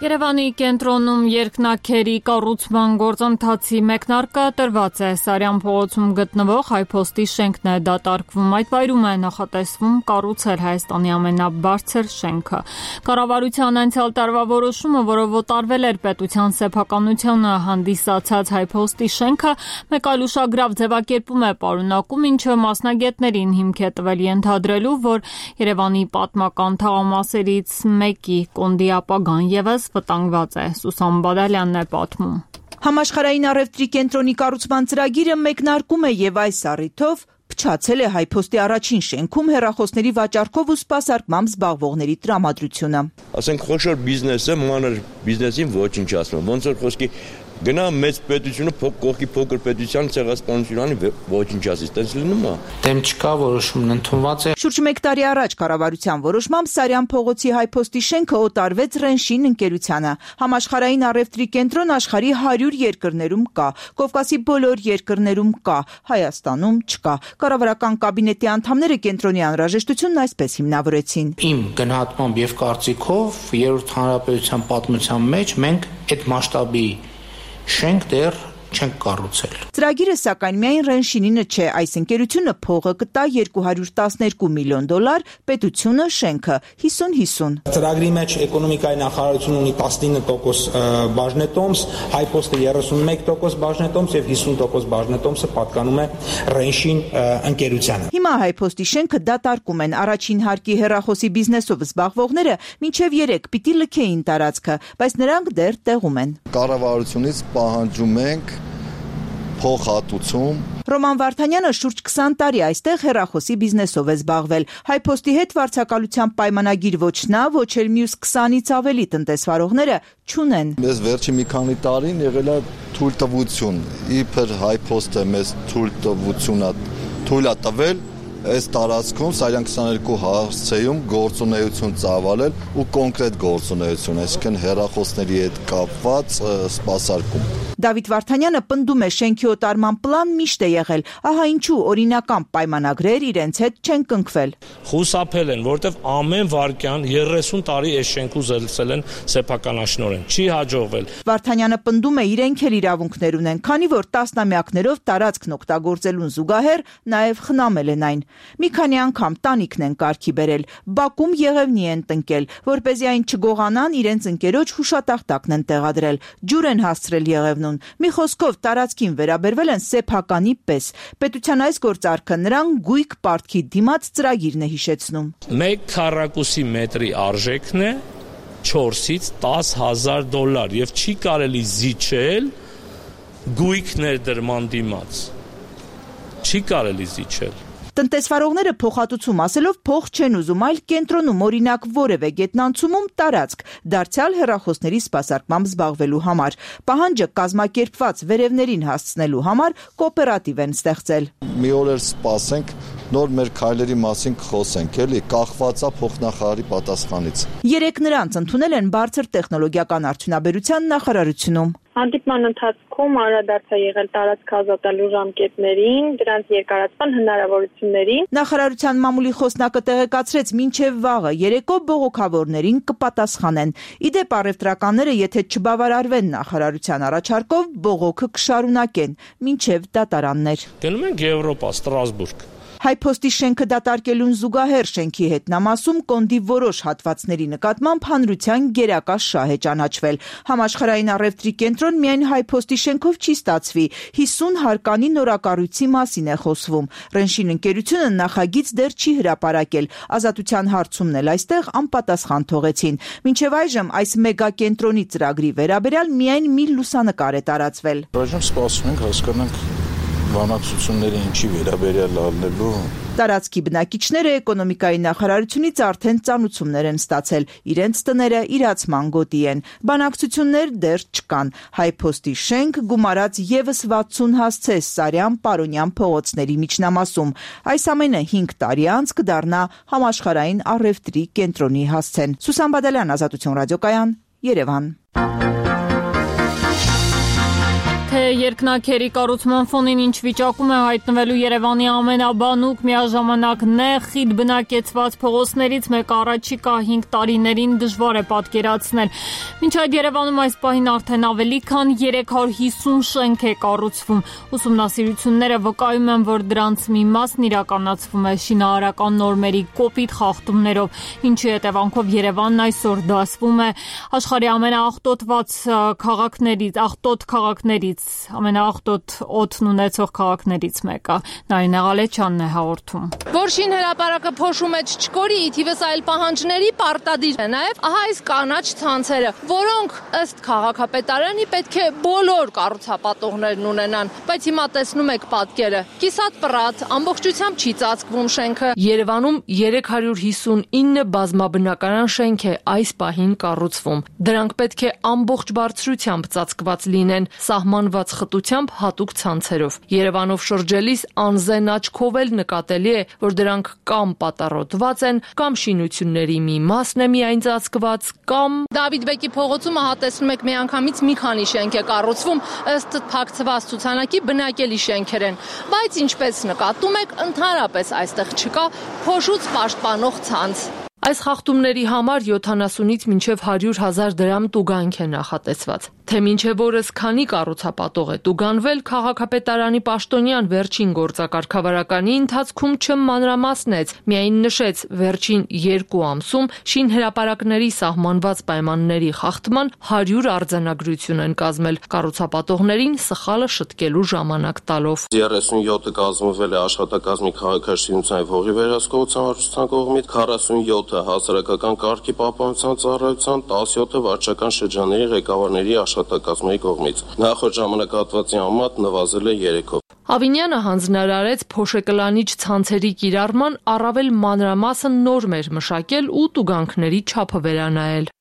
Երևանի կենտրոնում երկնաքերի կառուցման գործընթացի մեկնարկը տրված է։ Սարյան փողոցում գտնվող հայփոստի շենքն է դատարկվում։ Այդ վայրում է նախատեսվում կառուցել Հայաստանի ամենաբարձր շենքը։ Կառավարության անցյալ տարվա որոշումը, որով օտարվել էր պետության սեփականությունը հանդիսացած հայփոստի շենքը, մեկ այլ ուշագրավ ձևակերպում է պարունակում, ինչը մասնագետներին հիմք է տվել ենթադրելու, որ Երևանի պատմական թաղամասերից մեկի կոնդի ապագան ևս վտանգված է։ Սուսան Բադալյանն է պատմում։ Համաշխարհային առևտրի կենտրոնի կառուցման ծրագիրը մեկնարկում է եւ այս առիթով փչացել է հայփոստի առաջին շենքում հեռախոսների վաճառքով ու սպասարկմամբ զբաղվողների տրամադրությունը։ Ասենք խոշոր բիզնեսը մանր բիզնեսին ոչինչ ասում։ Ոնց որ խոսքի գնա մեծ պետությունը կողքի փոքր պետության ցեղասպանությունը ոչինչ ասի, տես լինում է։ Դեմ չկա, որոշումն ընդունված է։ Շուրջ մեկ տարի առաջ կառավարության որոշմամբ Սարյան փողոցի հայփոստի շենքը օտարվեց Ռենշին ընկերությանը։ Համաշխարհային առևտրի կենտրոն աշխարհի հարյուր երկրներում կա, Կովկասի բոլոր երկրներում կա, Հայաստանում չկա։ Կառավարական կաբինետի անդամները կենտրոնի անհրաժեշտությունն այսպես հիմնավորեցին։ Իմ գնահատմամբ եւ կարծիքով երրորդ հանրապետության պատմության մեջ մենք այդ մասշտաբի շենք դեռ չենք կառուցել։ Ծրագիրը սակայն միայն Ռենշինինը չէ, այս ընկերությունը փողը կտա երկու հարյուր տասներկու միլիոն դոլար, պետությունը շենքը հիսուն հիսուն։ Ծրագրի մեջ էկոնոմիկայի նախարարությունը ունի տասնինը տոկոս բաժնետոմս, հայփոստը երեսունմեկ տոկոս բաժնետոմս եւ հիսուն տոկոս բաժնետոմսը պատկանում է Ռենշին ընկերությանը։ Հիմա հայփոստի շենքը դատարկում են առաջին հարկի հեռախոսի բիզնեսով զբաղվողները մինչեւ երեք պիտի լքեին տարածքը, բայց նրանք դեռ տեղում են։ Կառավարությունից պահանջում ենք փոխհատուցում։ Ռոման Վարդանյանը շուրջ քսան տարի այստեղ հեռախոսի բիզնեսով է զբաղվել։ Հայփոստի հետ վարձակալության պայմանագիր ոչ նա, ոչ էլ մյուս քսանից ավելի տնտեսվարողները չունեն։ Մեզ վերջի մի քանի տարին եղել է թույլտվություն, իբր հայփոստը մեզ թույլտվություն է թույլ է տվել այս տարածքում Սարյան քսաներկու հարցեում գործունեություն ծավալել ու կոնկրետ գործունեություն, այսինքն հեռախոսների հետ կապված սպասարկում։ Դավիթ Վարդանյանը պնդում է շենքի օտարման պլան միշտ է եղել, ահա ինչու օրինական պայմանագրեր իրենց հետ չեն կնքվել։ Խուսափել են, որտեվ ամեն վարքյան երեսուն տարի այս շենքու զելցել են սեփականաշնորհեն, չի հաջողվել։ Վարդանյանը պնդում է իրենք էլ իրավունքներ ունեն, քանի որ տասնամյակներով տարածքն օգտագործելուն զուգահեռ նաև խնամել են այն։ Մի քանի անգամ տանիքն են կարգի բերել, բակում եղևնի են տնկել, որպեսզի այն չգողանան, իրենց ընկերոջ հուշատախտակն են տեղադրել, ջուր են հասցրել եղևնուն։ Մի խոսքով տարածքին վերաբերվել են սեփականի պես։ Պետության այս գործարքը նրան գույք պարտքի դիմաց ծրագիրն է հիշեցնում։ Մեկ քառակուսի մետրի արժեքն է չորսից տաս հազար դոլար եւ չի կարելի զիջել գույք ներդրման դիմաց։ Չի կարելի զիջել։ Տնտեսվարողները փոխհատուցում ասելով փող չեն ուզում, այլ կենտրոնում օրինակ որևէ գետնանցումում տարածք, դարձյալ հեռախոսների սպասարկմամբ զբաղվելու համար։ Պահանջը կազմակերպված վերևներին հասցնելու համար կոոպերատիվ են ստեղծել։ Մի օր էլ սպասենք, նոր մեր քայլերի մասին կխոսենք, էլի, կախվածա փոխնախարարի պատասխանից։ Երեք նրանց ընդունել են բարձր տեխնոլոգիական արդյունաբերության նախարարությունում։ Հանդիպման ընթացքում անդրադարձ է եղել տարածք ազատելու ժամկետներին, դրանց երկարացման հնարավորություններին։ Նախարարության մամուլի խոսնակը տեղեկացրեց, մինչև վաղը երեկո բողոքավորներին կպատասխանեն։ Իդեպ առևտրականները, եթե չբավարարվեն նախարարության առաջարկով, բողոքը կշարունակեն մինչև դատարաններ։ Գնում ենք Եվրոպա, Ստրասբուրգ։ Հայփոստի շենքը դատարկելուն զուգահեռ շենքի հետնամասում կոնդի որոշ հատվածների նկատմամբ հանրության գերակա շահ է ճանաչվել։ Համաշխարհային առևտրի կենտրոն միայն հայփոստի շենքով չի ստացվի, հիսուն հարկանի նորակառույցի մասին է խոսվում։ Ռենշին ընկերությունը նախագիծ դեռ չի հրապարակել, ազատության հարցումն էլ այստեղ անպատասխան թողեցին։ Մինչև այժմ այս մեգակենտրոնի ծրագրի վերաբերյալ միայն մի լուսանկար է տարածվել։ Այժմ սպասում ենք հասկանանք բանակցությունները ինչի վերաբերյալ ալնելու։ Տարածքի բնակիչները էկոնոմիկայի նախարարությունից արդեն ծանուցումներ են ստացել, իրենց տները իրացման գոտի են։ Բանակցություններ դեռ չկան։ Հայփոստի շենք գումարած ևս վաթսուն հասցե Սարյան Պարոնյան փողոցների միջնամասում։ Այս ամենը հինգ տարի անց կդառնա համաշխարհային առևտրի կենտրոնի հասցեն։ Սուսան Բադալյան, Ազատություն ռադիոկայան, Երևան։ Երկնաքերի կառուցման ֆոնին ինչ վիճակում է հայտնվելու Երևանի ամենաբանուկ միաժամանակ նեղ խիտ բնակեցված փողոցներից մեկը առաջիկա հինգ տարիներին դժվար է պատկերացնել։ Մինչ այդ Երևանում այս պահին արդեն ավելի քան երեք հարյուր հիսուն շենք է կառուցվում։ Ուսումնասիրությունները վկայում են, որ դրանց մի մասն իրականացվում է շինարարական նորմերի կոպիտ խախտումներով, ինչի հետևանքով Երևանն այսօր դասվում է աշխարհի ամենաաղտոտված քաղաքներից, աղտոտ քաղաքներից ամենաաղտոտ օդն ունեցող քաղաքներից մեկը։ Նարինե Ղալեչյանն է հաղորդում։ Որ շին հրապարակը փոշու մեջ չկորի, թիվս այլ պահանջների պարտադիր է նաև ահա այս կանաչ ցանցերը, որոնք ըստ քաղաքապետարանի պետք է բոլոր կառուցապատողներն ունենան, բայց հիմա տեսնում եք պատկերը։ Կիսատ պռատ, ամբողջությամբ չի ծածկվում շենքը։ Երևանում երեք հարյուր հիսուն ինը բազմաբնակարան շենք է այս պահին կառուցվում։ Դրանք պետք է ամբողջ բարձրությամբ ծածկված լինեն, սահմանված խտությամբ հատուկ ցանցերով։ Երևանով շրջելիս անզեն աչքով էլ նկատելի է, որ դրանք կամ պատառոտված են, կամ շինությունների մի մասն է միայն ծածկված, կամ Դավիթ Բեկի փողոցում ահա տեսնում եք միանգամից մի քանի շենք է կառուցվում, ըստ փակցված ցուցանակի բնակելի շենքեր են, բայց ինչպես նկատում եք, ընդհանրապես այստեղ չկա փոշուց պաշտպանող ցանց։ Այս խախտումների համար յոթանասունից մինչև հարյուր հազար դրամ տուգանք է նախատեսված։ Թե մինչև օրս քանի կառուցապատող է տուգանվել, քաղաքապետարանի պաշտոնյան վերջին գործակարգավարականի ընթացքում չմանրամասնեց, միայն նշեց վերջին երկու ամսում շինհրապարակների սահմանված պայմանների խախտման հարյուր արձանագրություն են կազմել, կառուցապատողներին սխալը շտկելու ժամանակ տալով։ երեսունյոթը կազմվել է աշխատակազմի քաղաքաշինության եւ հողի վերահսկողության վարչության կողմից, քառասունյոթը հասարակական կարգի պահպանության ծառայության, տասնյոթը վարչական շրջանների ղեկավարների աշխատակազմի կողմից։ Նախորդ ժամանակահատվածի համեմատ նվազել է երեքով։ Ավինյանը հանձնարարեց փոշեկլանիչ ցանցերի կիրառման առավել մանրամասն նորմեր մշակել ու տուգանքների չափը վերանայել։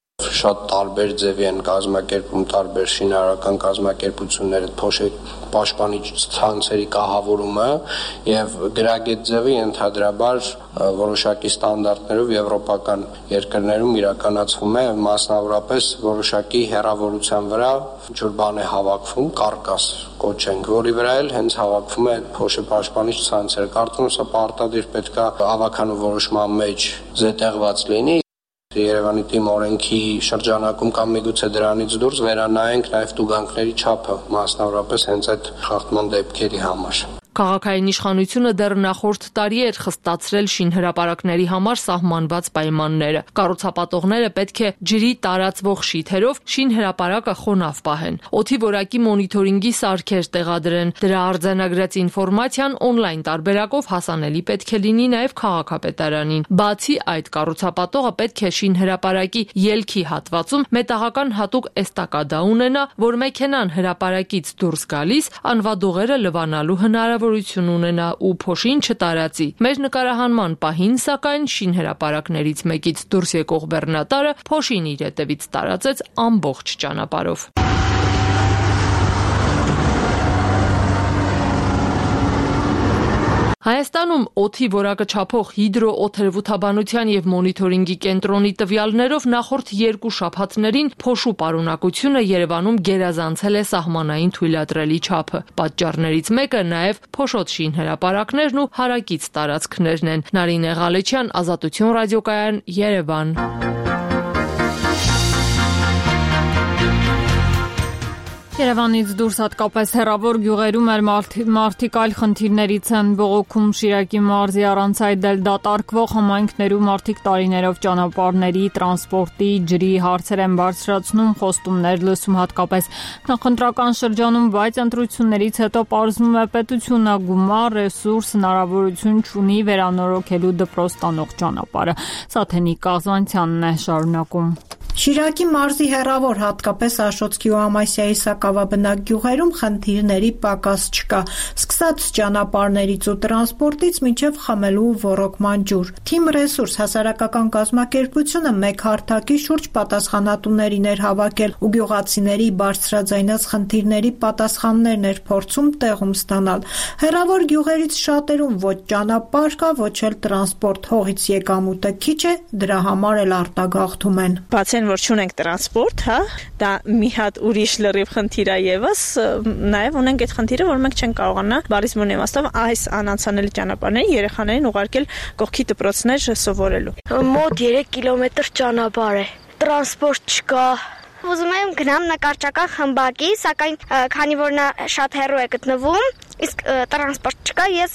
շատ տարբեր ձևի են կազմակերպում տարբեր շինարարական կազմակերպությունները փոշի պաշտպանիչ ցանցերի կահավորումը եւ գրագետ ձևը ենթադրաբար որոշակի ստանդարտներով եվրոպական երկրներում իրականացվում է մասնավորապես որոշակի հեռավորության վրա ինչ-որ բան է հավաքվում կարկաս կոչենք, որի վրա էլ հենց հավաքվում է փոշի պաշտպանիչ ցանցեր։ Կարծում եմ սա պարտադիր պետքա ավականու որոշման մեջ զետեղված լինի։ Երևանի թիմ օրենքի շրջանակում կամ միգուցե դրանից դուրս վերանայենք նաև տուգանքների չափը, մասնավորապես հենց այդ խախտման դեպքերի համար։ Քաղաքային իշխանությունը դեռ նախորդ տարի էր խստացրել շինհրապարակների համար սահմանված պայմանները։ Կառուցապատողները պետք է ջրի տարածվող շիթերով շինհրապարակը խոնավ պահեն, օդի որակի մոնիթորինգի սարքեր տեղադրեն։ Դրա արձանագրած ինֆորմացիան օնլայն տարբերակով հասանելի պետք է լինի նաև քաղաքապետարանին։ Բացի այդ, կառուցապատողը պետք է շինհրապարակի ելքի հատվածում մետաղական հատուկ էստակադա ունենա, որ մեքենան հրապարակից դուրս գալիս անվադողերը լվանալու հնարավոր ունենա ու փոշին չտարածի։ Մեր նկարահանման պահին, սակայն, շինհրապարակներից մեկից դուրս եկող բեռնատարը փոշին իր հետևից տարածեց ամբողջ ճանապարհով։ Հայաստանում օդի որակը չափող հիդրոօթերոթաբանության եւ մոնիթորինգի կենտրոնի տվյալներով նախորդ երկու շաբաթներին փոշու պարունակությունը Երևանում գերազանցել է սահմանային թույլատրելի չափը։ Պատճառներից մեկը նաեւ փոշոտ շինհրապարակներն ու հարակից տարածքներն են։ Նարինե Ղալեչյան, Ազատություն ռադիոկայան, Երևան։ Երևանից դուրս հատկապես հեռավոր գյուղերում էլ մարդիկ այլ խնդիրներից են բողոքում։ Շիրակի մարզի առանց այդ էլ դատարկվող համայնքներում մարդիկ տարիներով ճանապարհների, տրանսպորտի, ջրի հարցեր են բարձրացնում, խոստումներ լսում հատկապես նախընտրական շրջանում, բայց ընտրություններից հետո պարզվում է պետությունը գումար, ռեսուրս, հնարավորություն չունի վերանորոգելու դպրոց տանող ճանապարհը։ Սաթենիկ Կազանցյանն է շարունակում։ Շիրակի մարզի հեռավոր հատկապես Աշոտսկի ու Ամասիայի սակավաբնակ գյուղերում խնդիրների պակաս չկա, սկսած ճանապարհներից ու տրանսպորտից մինչև խմելու ու ոռոգման ջուր։ Թիմ ռեսուրս հասարակական կազմակերպությունը մեկ հարթակի շուրջ պատասխանատուներին էր հավաքել ու գյուղացիների բարձրաձայնած խնդիրների պատասխաններն էր փորձում տեղում ստանալ։ Հեռավոր գյուղերից շատերում ոչ ճանապարհ կա, ոչ էլ տրանսպորտ, հողից եկամուտը քիչ է, դրա համար էլ արտագաղթում են։ Որ չունենք տրանսպորտ, հա, դա մի հատ ուրիշ լրիվ խնդիր է եւս, նաեւ ունենք այդ խնդիրը, որ մենք չենք կարողանա բարիս մոն իմաստով այս անանցանելի ճանապարհներին երեխաներին ուղարկել կողքի դպրոցներ սովորելու։ Մոտ երեք կիլոմետր ճանապարհ է, տրանսպորտ չկա։ Ուզում եմ գնամ նկարչական խմբակի, սակայն քանի որ նա շատ հեռու է գտնվում, իսկ տրանսպորտ չկա, ես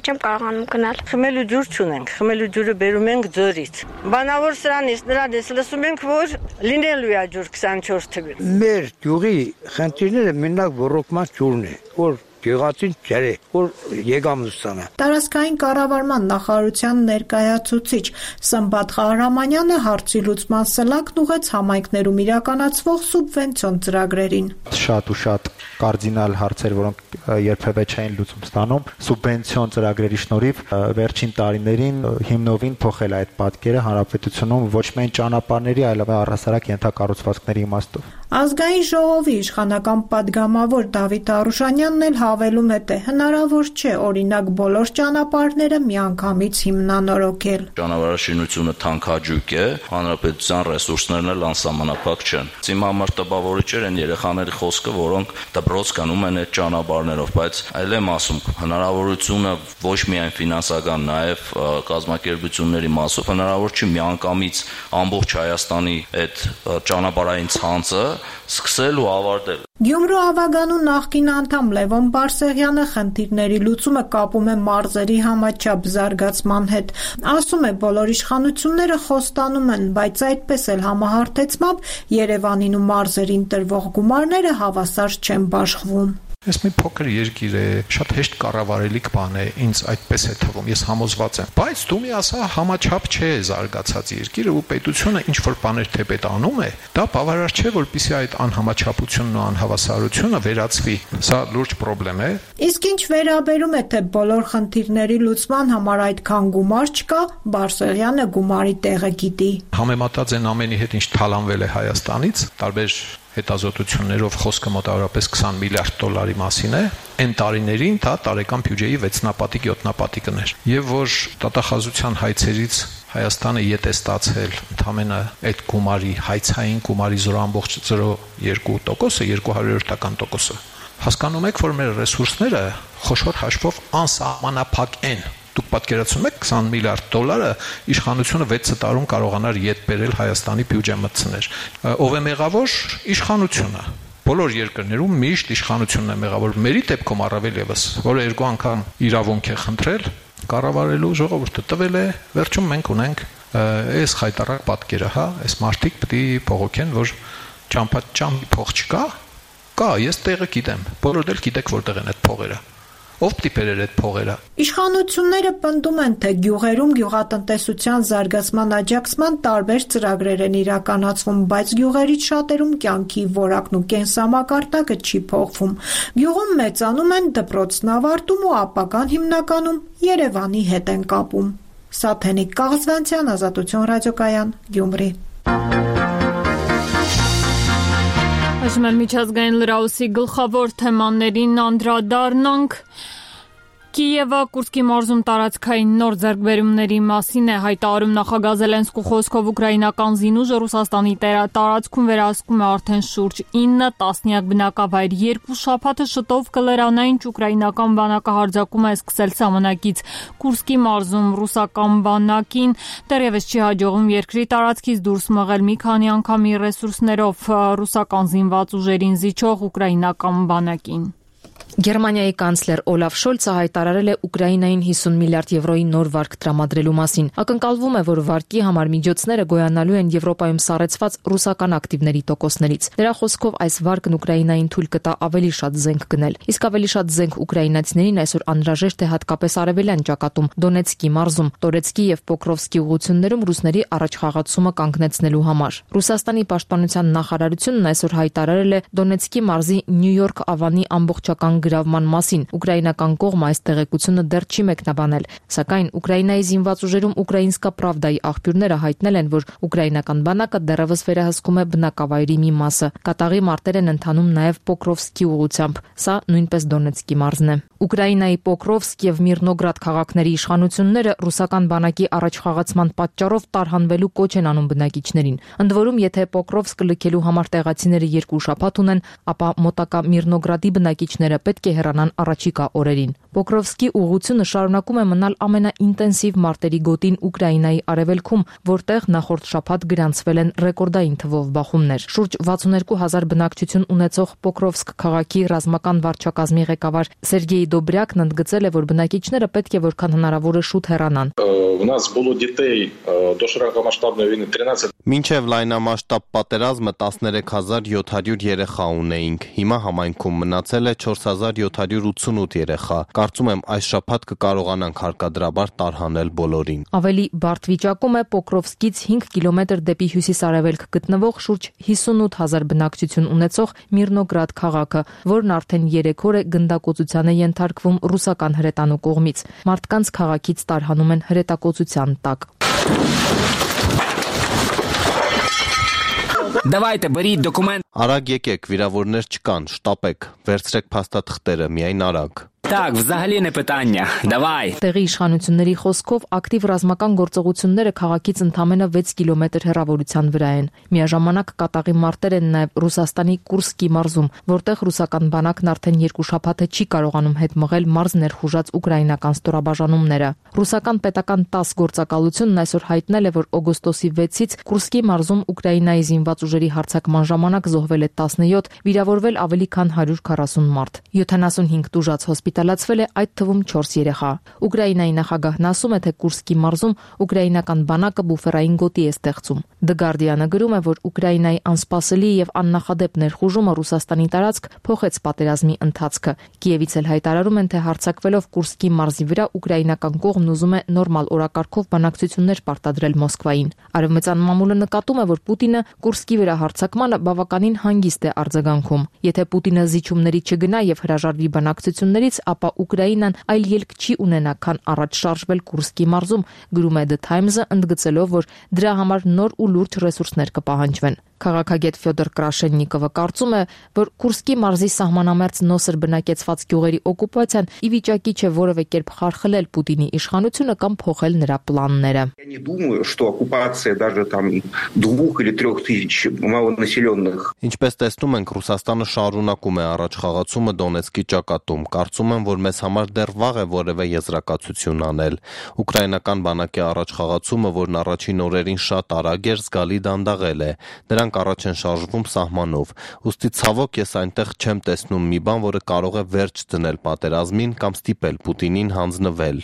չեմ կարողանում գնալ։ Խմելու ջուր չունենք, խմելու ջուրը բերում ենք ձորից։ Բանավոր սրանից նրանից լսում ենք, որ լինելու է ջուր քսանչորս թվին։ Մեր գյուղի խնդիրները մենակ ոռոգման ջուրն է, որ գյուղացին ջրե, որ եկամուտ ստանա։ Տարածքային կառավարման նախարարության ներկայացուցիչ Սմբատ Ղահրամանյանը հարցի լուծման սլակն ուղեց համայնքներում իրականացվող սուբվենցիոն ծրագրերին։ Շատ ու շատ կարդինալ հարցեր, որոնք երբևէ չէին լուծում ստանում, սուբվենցիոն ծրագրերի շնորհիվ վերջին տարիներին հիմնովին փոխել այդ պատկերը հանրապետությունում ոչ միայն ճանապարհների, այլև առհասարակ ենթակառուցվածքների իմաստով։ Ազգային ժողովի իշխանական падգամավոր Դավիթ Արուշանյանն էլ հավելում է, թե հնարավոր չէ օրինակ բոլոր ճանապարհները միանգամից հիմնանորոգել։ Ճանապարհաշինությունը թանքաջույք է, հանրապետության ռեսուրսներն էլ անսահմանափակ չեն։ Իմ համար տպավորիչ էր այն երեխաների խոսքը, որոնք դպրոց գնում են այդ ճանապարհներով, բայց այլ եմ ասում, հնարավորությունը ոչ միայն ֆինանսական, նաև կազմակերպությունների մասով հնարավոր չի միանգամից ամբողջ Հայաստանի այդ ճանապարհային ցանցը սկսել ու ավարտել։ Գյումրու ավագանու նախկին անդամ Լևոն Բարսեղյանը խնդիրների լուծումը կապում է մարզերի համաչափ զարգացման հետ։ Ասում է, բոլոր իշխանությունները խոստանում են, բայց այդպես էլ համահարթեցմամբ Երևանին ու մարզերին տրվող գումարները հավասար չեն բաշխվում։ Այս մի փոքր երկիր է, շատ հեշտ կառավարելիք բան է, ինձ այդպես է թվում, ես համոզված եմ։ Բայց դու մի ասա, համաչափ չէ զարգացած երկիրը ու պետությունը ինչ որ բաներ թեպետ անում է, դա բավարար չէ, որպեսզի այդ անհամաչափությունն ու անհավասարությունը վերացվի։ Սա լուրջ խնդրեմ է։ Իսկ ինչ վերաբերում է թե բոլոր խնդիրների լուծման համար այդքան գումար չկա, Բարսեղյանը գումարի տեղը գիտի։ Համեմատած են ամենի հետ ինչ թալանվել է Հայաստանից, տարբեր հետազոտություններով խոսքը մոտավորապես քսան միլիարդ դոլարի մասին է, այն տարիներին դա տարեկան բյուջեի վեցնապատիկ յոթնապատիկն էր։ Եվ որ տատախազության հայցերից Հայաստանը ետ է ստացել ընդամենը այդ գումարի, հայցային գումարի զրո ամբողջ զրո երկու տոկոսը, երկու հարյուրորդական տոկոսը։ Հասկանում եք, որ մեր ռեսուրսները խոշոր հաշվով անսահմանափակ են։ Դուք պատկերացնում եք քսան միլիարդ դոլարը իշխանությունը վեց տարում կարողանար ետ բերել Հայաստանի բյուջե մտցներ։ Ով է մեղավոր? Իշխանությունը։ Բոլոր երկրներում միշտ իշխանությունն է մեղավոր, մերի դեպքում առավել եւս, որը երկու անգամ իրավունք է խնդրել, կառավարելու ժողովուրդը տվել է, վերջում մենք ունենք այս խայտարակ պատկերը, հա, այս մարտիկ պետք է փողոքեն, որ ճամփաճամ փող չկա, կա, ես տեղը գիտեմ, բոլորդ էլ գիտեք որտեղ են այդ փողերը։ Ով պիտի բերեր այդ փողերը։ Իշխանությունները պնդում են, թե գյուղերում գյուղատնտեսության զարգացման աջակցման տարբեր ծրագրեր են իրականացվում, բայց գյուղերից շատերում կյանքի որակն ու կենսամակարդակը չի փոխվում։ Գյուղում մեծանում են, դպրոցն ավարտում ու ապագան հիմնականում Երևանի հետ են կապում։ Սաթենիկ Կաղզվանցյան, Ազատություն ռադիոկայան, Գյումրի։ Այժմ էլ միջազգային լրահոսի գլխավոր թեմաներին անդրադառնանք։ Կիևը Կուրսկի մարզում տարածքային նոր ձեռքբերումների մասին է հայտարարում նախագահ Զելենսկու խոսքով ուկրաինական զինուժը Ռուսաստանի տարածքում վերահսկում է արդեն շուրջ ինը տասնյակ բնակավայր։ Երկու շաբաթը շտով կլրանա, ինչ ուկրաինական բանակը հարձակում է սկսել սահմանակից Կուրսկի մարզում ռուսական բանակին դեռևս չի հաջողում երկրի տարածքից դուրս մղել մի քանի անգամ իր ռեսուրսներով ռուսական զինված ուժերին զիջող ուկրաինական բանակին։ Գերմանիայի կանցլեր Օլաֆ Շոլցը հայտարարել է Ուկրաինային հիսուն միլիարդ եվրոյի նոր վարկ տրամադրելու մասին։ Ակնկալվում է, որ վարկի համար միջոցները գոյանալու են Եվրոպայում սառեցված ռուսական ակտիվների տոկոսներից։ Նրա խոսքով այս վարկն Ուկրաինային թույլ կտա ավելի շատ զենք գնել։ Իսկ ավելի շատ զենք ուկրաինացիներին այսօր անհրաժեշտ է հատկապես արևելյան ճակատում Դոնեցկի մարզում, Տորեցկի եւ Պոկրովսկի ուղություններում ռուսների առաջխաղացումը կանգնեցնելու համար։ Ռուսաստանի պաշտպանության նախարարությունն այսօր հայտարարել է Դոնեցկի մարզի Նյու-Յորք ավանի ամբողջական գրավման մասին։ Ուկրաինական կողմը այս տեղեկությունը դեռ չի մեկնաբանել, սակայն Ուկրաինայի զինված ուժերում Ուկրաինսկա Պրավդայի աղբյուրները հայտնել են, որ ուկրաինական բանակը դեռևս վերահսկում է բնակավայրի մի մասը։ Կատաղի մարտեր են ընթանում նաև Պոկրովսկի ուղությամբ, սա նույնպես Դոնեցկի մարզն է։ Ուկրաինայի Պոկրովսկ եւ Միրնոգրադ քաղաքների իշխանությունները ռուսական բանակի առաջխաղացման պատճառով տարհանվելու կոչ են անում բնակիչներին։ Ընդ որում, եթե Պոկրովսկը լքելու համար տեղացիները երկու շաբաթ ունեն, ապա մոտակա Միրնոգրադի բնակիչները պետք է հեռանան առաջիկա օրերին։ Պոկրովսկի ուղղությունը շարունակում է մնալ ամենաինտենսիվ մարտերի գոտին Ուկրաինայի արևելքում, որտեղ նախորդ շաբաթ գրանցվել են ռեկորդային թվով բախումներ։ Շուրջ վաթսունհինգ հազար բնակչություն ունեցող Պոկրովսկ քաղաքի ռազմական վարչակազմի ղեկավար Սերգեյ Դոբրյակն ընդգծել է, որ բնակիչները պետք է որքան հնարավոր է շուտ հեռանան։ Մինչև լայնամասշտաբ պատերազմը տասներեք հազար յոթ հարյուր երեխա ունեինք։ Հիմա համայնքում մնացել է չորս հազար յոթ հարյուր ութսունութ երեխա։ Կարծում եմ այս շաբաթ կկարողանանք հարկադրաբար տարհանել բոլորին։ Ավելի բարդ վիճակում է Պոկրովսկից հինգ կիլոմետր դեպի հյուսիս-արևելք գտնվող շուրջ հիսունութ հազար բնակչություն ունեցող Միրնոգրադ քաղաքը, որն արդեն երեք օր է գնդակոծության է ենթարկվում ռուսական հրետանու կողմից։ Մարդկանց քաղաքից տարհանում են հրետակոծության տակ։ Давайте, беріть документ. Արագ եկեք, վիրավորներ չկան, շտապեք, վերցրեք փաստաթղթերը, միայն արագ։ Так, взагалі не питання. Давай. Տեղի իշխանությունների խոսքով ակտիվ ռազմական գործողությունները քաղաքից ընդամենը վեց կիլոմետր հեռավորության վրա են։ Միաժամանակ կատաղի մարտեր են նաև Ռուսաստանի Կուրսկի մարզում, որտեղ ռուսական բանակն արդեն երկու շաբաթ է չի կարողանում հետ մղել մարզ ներխուժած ուկրաինական ստորաբաժանումները։ Ռուսական պետական տաս գործակալությունն այսօր հայտնել է, որ օգոստոսի վեցից Կուրսկի մարզում Ուկրաինայի զինված ուժերի հարձակման ժամանակ զոհվել է տասնյոթ, վիրավորվել ավելի քան հարյուր քառասուն մարդ։ յոթանասունհինգ տուժած հոսպիտալ հոսպիտալացվել է, այդ թվում չորս երեխա։ Ուկրաինայի նախագահն ասում է, թե Կուրսկի մարզում ուկրաինական բանակը բուֆերային գոտի է ստեղծում։ The Guardian-ը գրում է, որ Ուկրաինայի անսպասելի եւ աննախադեպ ներխուժումը Ռուսաստանի տարածք փոխեց պատերազմի ընթացքը։ Կիևից էլ հայտարարում են, թե հարձակվելով Կուրսկի մարզի վրա ուկրաինական կողմն ուզում է նորմալ օրակարգով բանակցություններ պարտադրել Մոսկվային։ Արևմտյան մամուլը նկատում է, որ Պուտինը Կուրսկի վրա հարձակմանը բավականին հանգիստ է արձագանքում։ Եթե Պուտինը զիջումների չգնա եւ հրաժարվի բանակցություններից, ապա Ուկրաինան այլ ելք չի ունենա, քան առաջ շարժվել Կուրսկի մարզում, գրում է The Times-ը, ընդգծելով, որ դրա համար նոր ու լուրջ ռեսուրսներ կպահանջվեն։ Քաղաքագետ Ֆյոդոր Կրաշեննիկովը կարծում է, որ Կուրսկի մարզի սահմանամերձ նոսր բնակեցված գյուղերի օկուպացիան ի վիճակի չէ որևէ կերպ խարխլել Պուտինի իշխանությունը կամ փոխել նրա պլանները։ Я не думаю, что оккупация даже там двух или трех тысяч малонаселенных. Ինչպես տեսնում ենք, Ռուսաստանը շարունակում է առաջխաղացումը Դոնեցկի ճակատում։ Կարծում եմ, որ մեզ համար դեռ վաղ է որևէ եզրակացություն անել։ Ուկրաինական բանակի առաջխաղացումը, որն առաջին օրերին շատ արագ էր, զգալի դանդաղել է։ Նրանք առաջ են շարժվում սահմանով։ Ուստի ցավոք ես այնտեղ չեմ տեսնում մի բան, որը կարող է վերջ դնել պատերազմին կամ ստիպել Պուտինին հանձնվել։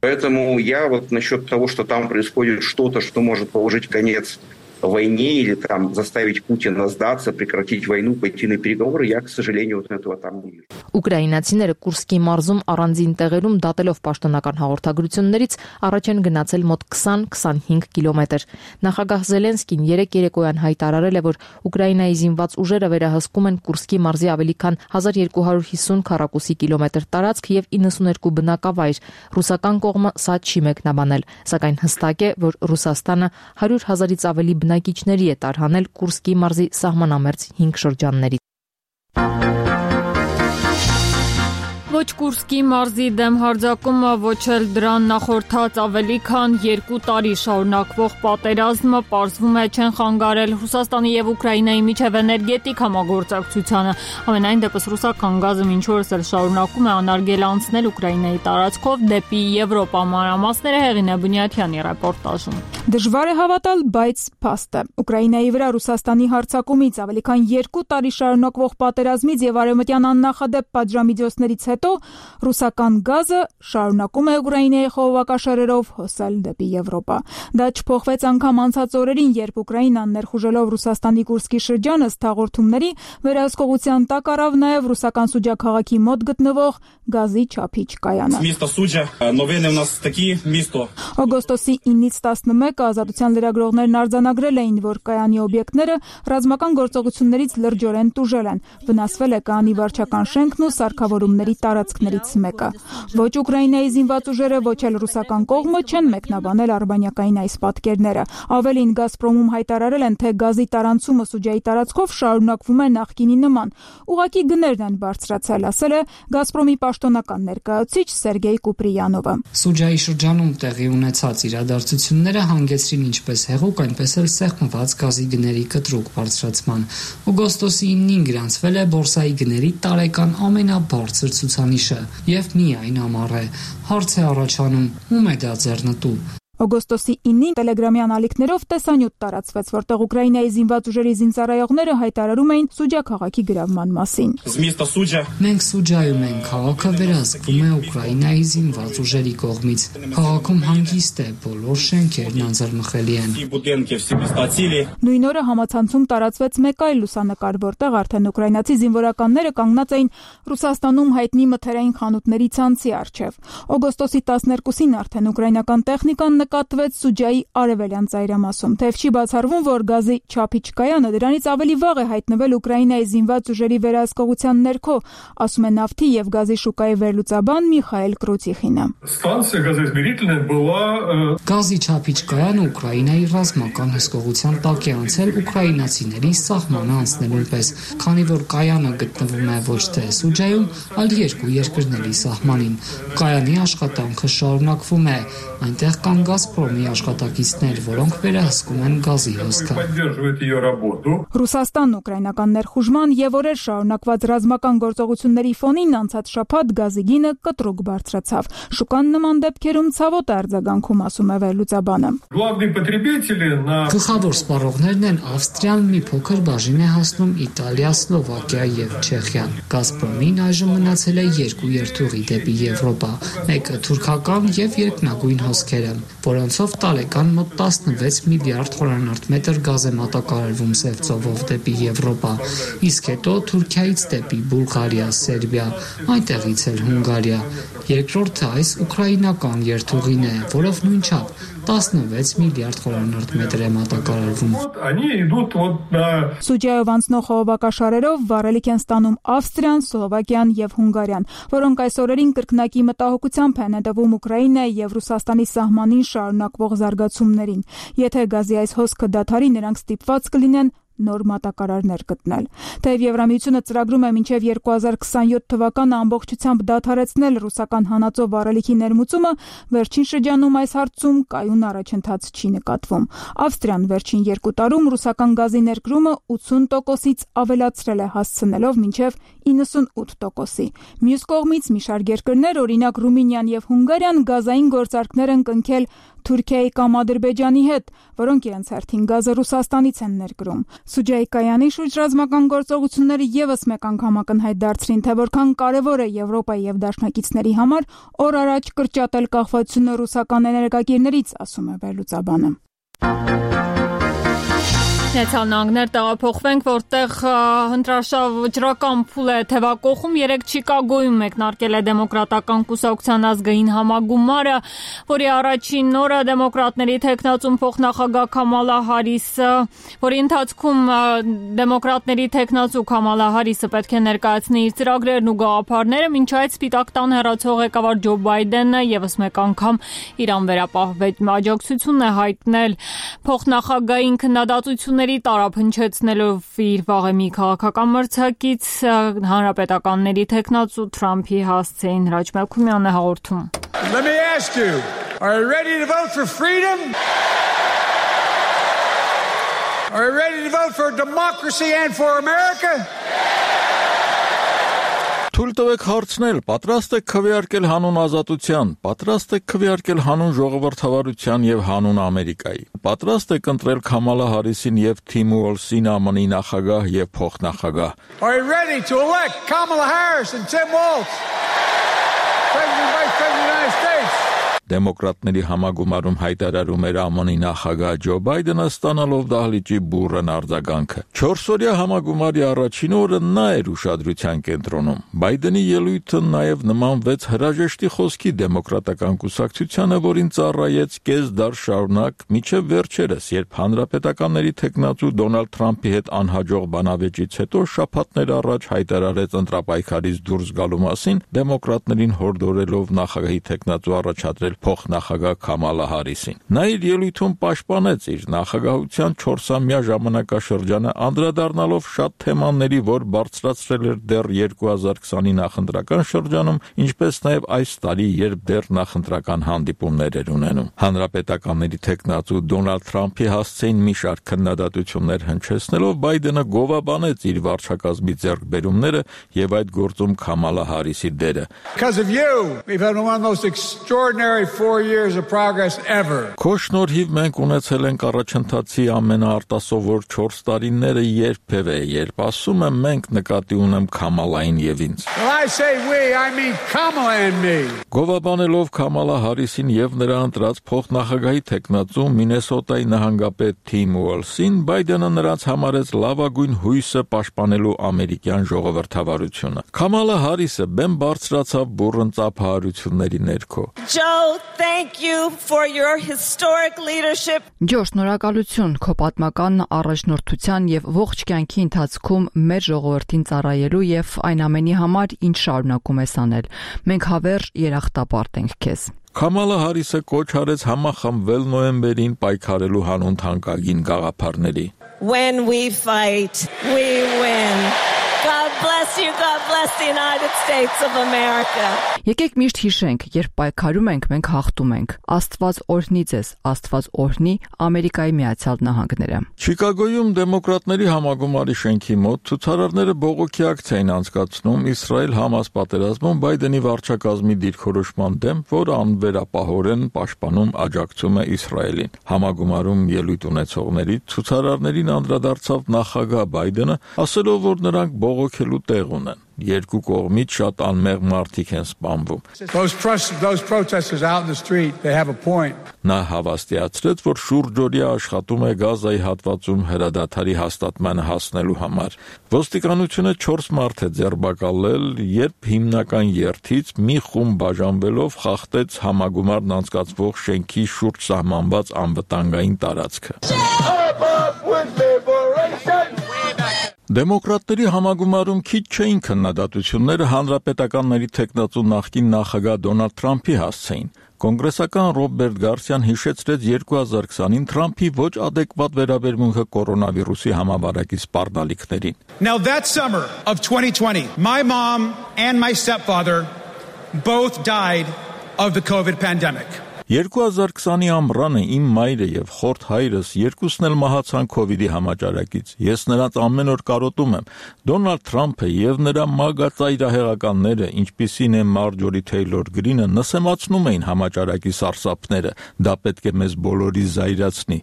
Поэтому я вот насчет того, что там происходит что-то, что может положить конец войне или там заставить Путина сдаться, прекратить войну, пойти на переговоры, я, к сожалению, вот этого там не вижу. Ուկրաինացիները Կուրսկի մարզում առանձին տեղերում դատելով պաշտոնական հաղորդագրություններից առաջ են գնացել մոտ քսան-քսանհինգ կիլոմետր։ Նախագահ Զելենսկին երեկ երեկոյան հայտարարել է, որ Ուկրաինայի զինված ուժերը վերահսկում են Կուրսկի մարզի ավելի քան հազար երկու հարյուր հիսուն քառակուսի կիլոմետր տարածք եւ իննսուներկու բնակավայր։ Ռուսական կողմը սա չի մեկնաբանել, սակայն հստակ է, որ Ռուսաստանը հարյուր հազարից ավելի բնակիչների է տարհանել Կուրսկի մարզի սահմանամերձ հինգ շրջաններից։ Ոչ Կուրսկի մարզի դեմ հարձակումը, ոչ էլ դրան նախորդած ավելի քան երկու տարի շարունակվող պատերազմը պարզվում է չեն խանգարել Ռուսաստանի եւ Ուկրաինայի միջև էներգետիկ համագործակցությանը։ Ամենայն դեպս ռուսական գազը մինչ օրս էլ շարունակում է անարգել անցնել Ուկրաինայի տարածքով դեպի Եվրոպա։ Մանրամասները Հեղինե Բունյաթյանի ռեպորտաժում։ Դժվար է հավատալ, բայց փաստ է։ Ուկրաինայի վրա Ռուսաստանի հարձակումից ավելի քան երկու տարի շարունակվող պատերազմից եւ արևմտյան աննախադեպ պատժամիջոցներից հետո ռուսական գազը շարունակում է Ուկրաինայի խողովակաշարերով հոսել դեպի Եվրոպա։ Դա չփոխվեց անգամ անցած օրերին, երբ Ուկրաինան ներխուժելով Ռուսաստանի Կուրսկի շրջանը հաղորդումների վերահսկողության տակ առավ նաև ռուսական Սուջա քաղաքի մոտ գտնվող գազի չափիչ կայանը։ Օգոստոսի ինից տասնմեկը Ազատության լրագրողներն արձանագրել էին, որ կայանի օբյեկտները ռազմական գործողություններից լրջորեն տուժել են։ Վնասվել է կայանի վարչական շենքն ու սարքավորումների տարածքներից մեկը։ Ոչ Ուկրաինայի զինված ուժերը, ոչ էլ ռուսական կողմը չեն մեկնաբանել արբանյակային այս պատկերները։ Ավելին Գազպրոմում հայտարարել են, թե գազի տարանցումը Սուջայի տարածքով շարունակվում է նախկինի նման։ Ուղղակի գներն են բարձրացել, ասել է Գազպրոմի պաշտոնական ներկայացուցիչ Սերգեյ Կուպրիյանովը։ Սուջայի շրջանում տեղի ունեցած իրադարձությունները հանգեցրին ինչպես հեղուկ, այնպես էլ սեղմված գազի գների կտրուկ բարձրացման։ Օգոստոսի ինին գրանցվել է բորսայի գների տարեկան ամենաբարձր ցուցանիշը եւ միայն ամառ է։ Հարց է առաջանում՝ ում է դա ձեռնտու։ Օգոստոսի ինին տելեգրամյան ալիքներով տեսանյութ տարածվեց, որտեղ Ուկրաինայի զինված ուժերի զինծառայողները հայտարարում էին Սուջա քաղաքի գրավման մասին։ Մենք Սուջայում ենք, քաղաքը վերահսկվում է Ուկրաինայի զինված ուժերի կողմից։ Քաղաքում հանգիստ է, բոլոր շենքերն անձեռնխելի են։ Նույն օրը համացանցում տարածվեց մեկ այլ լուսանկար, որտեղ արդեն ուկրաինացի զինվորականները կանգնած էին Ռուսաստանում հայտնի մթերային խանութների ցանցի առջև։ Օգոստոսի տասներկուսին արդեն ուկրաինական տեխնիկան նկատվեց Սուջայի արևելյան ծայրամասում, թեև չի բացառվում, որ գազի չափիչ կայանը դրանից ավելի վաղ է հայտնվել Ուկրաինայի զինված ուժերի վերահսկողության ներքո, ասում է նավթի եւ գազի շուկայի վերլուծաբան Միխայել Կրուցիխինը։ Գազի չափիչ կայանը Ուկրաինայի ռազմական հսկողության տակ է անցել ուկրաինացիների սահմանը անցնելուն պես, քանի որ կայանը գտնվում է ոչ թե Սուջայում, այլ երկու երկրների սահմանին։ Կայանի աշխատանքը շարունակվում է, այնտեղ կան Գազպրոմի աշխատակիցներ, որոնք վերահսկում են գազի հոսքը։ Ռուսաստանն ուկրաինական ներխուժման եւ օրեր շարունակված ռազմական գործողությունների ֆոնին անցած շաբաթ գազի գինը կտրուկ բարձրացավ։ Շուկան նման դեպքերում ցավոտ է արձագանքում, ասում է վերլուծաբանը։ Գլխավոր սպառողներն են Ավստրիան, մի փոքր բաժին է հասնում Իտալիա, Սլովակիա եւ Չեխիան։ Գազպրոմին այժմ մնացել է երկու երթուղի դեպի Եվրոպա, մեկը թուրքական եւ երկնագույն հոսքերը, որոնցով տարեկան մոտ տասնվեց միլիարդ խորանարդ գազ է մատակարարվում Սև ծովով դեպի Եվրոպա, իսկ հետո Թուրքիայից դեպի Բուլղարիա, Սերբիա, այնտեղից էլ Հունգարիա։ Երկրորդը այս ուկրաինական երթուղին է, որով նույնչափ տասնվեց միլիարդ խորանարդ մետր է մատակարարվում։ Սուջայով անցնող խողովակաշարերով վառելիք են ստանում Ավստրիան, Սլովակիան եւ Հունգարիան, որոնք այս օրերին կրկնակի մտահոգությամբ են հետևում Ուկրաինայի եւ Ռուսաստանի սահմանին շարունակվող զարգացումներին։ Եթե գազի այս հոսքը դադարի, նրանք ստիպված կլինեն նոր մատակարարներ գտնել։ Թեև Եվրամիությունը ծրագրում է մինչև երկու հազար քսանյոթ թվականը ամբողջությամբ դադարեցնել ռուսական հանածո վառելիքի ներմուծումը, վերջին շրջանում այս հարցում կայուն առաջընթաց չի նկատվում։ Ավստրիան վերջին երկու տարում ռուսական գազի ներկրումը ութուն տոկոսից ավելացրել է, հասցնելով մինչև իննսունութ տոկոսի։ Մյուս կողմից մի շարք երկրներ, օրինակ Ռումինիան եւ Հունգարիան, գազային գործարքներ են կնքել Թուրքիայի կամ Ադրբեջանի հետ, որոնք իրենց հերթին գազը Ռուսաստանից են ներկրում։ Սուջայի կայանի շուրջ ռազմական գործողությունները եւս մեկ անգամ ակնհայտ դարձրին, թե որքան կարևոր է Եվրոպայի եւ դաշնակիցների համար օր առաջ կրճատել կախվածությունը ռուսական էներգակիրներից, ասում է վերլուծաբանը։ Նեցալ նահանգներ տեղափոխվենք, որտեղ հնդրաշավ վճռական փուլ է թևակողում։ Երեկ Չիկագոյում մեկնարկել է դեմոկրատական կուսակցության ազգային համագումարը, որի առաջին օրը դեմոկրատների թեկնածուն փոխնախագահ Քամալա Հարիսը, որի ընթացքում դեմոկրատների թեկնածու Քամալա Հարիսը պետք է ներկայացնի իր ծրագրերն ու գաղափարները, մինչ այդ Սպիտակ տան հեռացող ղեկավար Ջո Բայդենը եւս մեկ անգամ իր անվերապահվեջ աջակցությունն է հայտնել փոխնախագահային քննադատությունների տարափ հնչեցնելով իր վաղեմի քաղաքական մրցակից հանրապետականների թեկնածու Թրամփի հասցեին Հրաչ Մելքումյանը հաղորդում։ Let me ask you, are you ready to vote for freedom? Are you ready to vote for democracy and for America? Թույլ տվեք հարցնել, պատրաստ եք քվեարկել հանուն ազատության, պատրաստ եք քվեարկել հանուն ժողովրդավարության եւ հանուն Ամերիկայի, պատրաստ եք ընտրել Քամալա Հարիսին եւ Թիմ Ուոլսին Է Մ Ն-ի նախագահ եւ փոխնախագահ։ Are you ready to elect Kamala Harris and Tim Walz, President and Vice President of the United States? Դեմոկրատների համագումարում հայտարարում էր Է Մ Ն-ի նախագահ Ջո Բայդենը, ստանալով դահլիճի բուռն արձագանքը։ Չորսօրյա համագումարի առաջին օրը նա էր ուշադրության կենտրոնում։ Բայդենի ելույթը նաև նմանվեց հրաժեշտի խոսքի դեմոկրատական կուսակցությանը, որին ծառայեց կես դար շարունակ մինչև վերջերս, երբ հանրապետականների թեկնածու Դոնալդ Թրամփի հետ անհաջող բանավեճից հետո շաբաթներ առաջ հայտարարեց ընտրապայքարից դուրս գալու մասին, դեմոկրատներին հորդորելով նախագահի թեկնածու առաջադրել փոխնախագահ Քամալա Հարիսին։ Նա իր ելույթում պաշտպանեց իր նախագահության չորսամյա ժամանակաշրջանը, անդրադառնալով շատ թեմաների, որ բարձրացրել էր դեռ երկու հազար քսանի նախընտրական շրջանում, ինչպես նաև այս տարի, երբ դեռ նախընտրական հանդիպումներ էր ունենում։ Հանրապետականների թեկնածու Դոնալդ Թրամփի հասցեին մի շարք քննադատություններ հնչեցնելով, Բայդենը գովաբանեց իր վարչակազմի ձեռքբերումները եւ այդ գործում Քամալա Հարիսի դերը։ Because of you, we've had one of the most extraordinary four years of progress ever. Քո շնորհիվ մենք ունեցել ենք առաջընթացի ամենաարտասովոր չորս տարիները երբևէ, երբ ասում եմ մենք, նկատի ունեմ Քամալային եւ ինձ։ When I say we, I mean Kamala and me. Գովաբանելով Քամալա Հարիսին եւ նրա ընտրած փոխնախագահի թեկնածու Մինեսոտայի նահանգապետ Թիմ Ուոլսին, Բայդենը նրանց համարեց լավագույն հույսը պաշտպանելու ամերիկյան ժողովրդավարությունը։ Քամալա Հարիսը բեմ բարձրացավ բուռն ծափահարությունների ներքո։ Joe, thank you for your historic leadership. Ջո, շնորհակալություն քո պատմական առաջնորդության եւ ողջ կյանքի ընթացքում մեր ժողովրդին ծառայելու եւ այն ամենի համար, ինչ շարունակում ես անել։ Մենք հավերժ երախտապարտ ենք քեզ։ Քամալա Հարիսը կոչ արեց համախմբվել նոյեմբերին պայքարելու հանուն թանկագին գաղափարների։ When we fight, we win. God bless you. God bless the United States of America. Եկեք միշտ հիշենք, երբ պայքարում ենք, մենք հաղթում ենք։ Աստված օրհնի ձեզ, Աստված օրհնի Ամերիկայի Միացյալ Նահանգները։ Չիկագոյում դեմոկրատների համագումարի շենքի մոտ ցուցարարները բողոքի ակցիա են անցկացնում Իսրայել-Համաս պատերազմում Բայդենի վարչակազմի դիրքորոշման դեմ, որը անվերապահորեն պաշտպանում աջակցում է Իսրայելին։ Համագումարում ելույթ ունեցողների ցուցարարներին անդրադարձավ նախագահ Բայդենը, ասելով, որ նրանք բողոքելու տեղ ունեն։ Երկու կողմից շատ անմեղ մարդիկ են սպանվում։ Those protesters out in the street, they have a point. Նա հավաստիացրեց, որ շուրջօրյա աշխատում է Գազայի հատվածում հրադադարի հաստատմանը հասնելու համար։ Ոստիկանությունը չորս մարդ է ձերբակալել, երբ հիմնական երթից մի խումբ բաժանվելով խախտեց համագումարն անցկացվող շենքի շուրջ սահմանված անվտանգային տարածքը։ Դեմոկրատների համագումարում քիչ չէին քննադատությունները հանրապետականների թեկնածու նախկին նախագահ Դոնալդ Թրամփի հասցեին։ Կոնգրեսական Ռոբերտ Գարսիան հիշեցրեց երկու հազար քսանին Թրամփի ոչ adekvat վերաբերմունքը կորոնավիրուսի համավարակի սպառնալիքներին։ Now that summer of twenty twenty, my mom and my stepfather both died of the COVID pandemic. երկու հազար քսանի ամռանը իմ մայրը եւ խորթ հայրս երկուսն էլ մահացան քովիդի համաճարակից։ Ես նրանց ամեն օր կարոտում եմ։ Դոնալդ Թրամփը եւ նրա մագածայրահեղականները, ինչպիսին է Մարջորի Թեյլոր Գրինը, նսեմացնում էին համաճարակի սարսափները։ Դա պետք է մեզ բոլորի զայրացնի։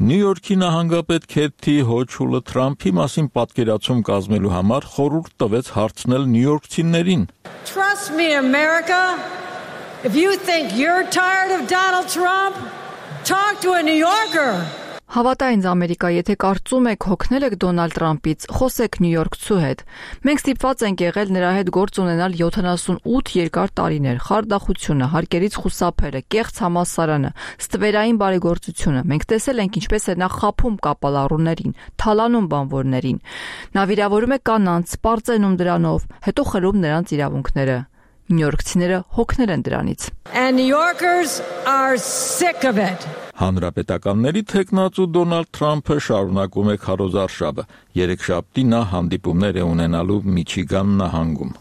Նյու Յորքի նահանգապետ Քեթի Հոչուլը Թրամփի մասին պատկերացում կազմելու համար խորհուրդ տվեց հարցնել նյույորքցիներին։ Trust me, America. If you think you're tired of Donald Trump, talk to a New Yorker. Հավատա ինձ Ամերիկա, եթե կարծում եք հոգնել եք Դոնալդ Թրամփից, խոսեք նյույորքցու հետ։ Մենք ստիպված ենք եղել նրա հետ գործ ունենալ յոթանասունութ երկար տարիներ, խարդախությունը, հարկերից խուսափելը, կեղծ համալսարանը, ստվերային բարեգործությունը։ Մենք տեսել ենք ինչպես է նա խաբում կապալառուներին, թալանում բանվորներին։ Նա վիրավորում է կանանց, սպառծենում դրանով, հետո խլում նրանց իրավունքները։ Նյույորքցիները հոգնել են դրանից։ And New Yorkers are sick of it. Հանրապետականների թեկնածու Դոնալդ Թրամփը շարունակում է քարոզարշավը։ Երեքշաբթի նա հանդիպումներ է ունենալու Միչիգան նահանգում։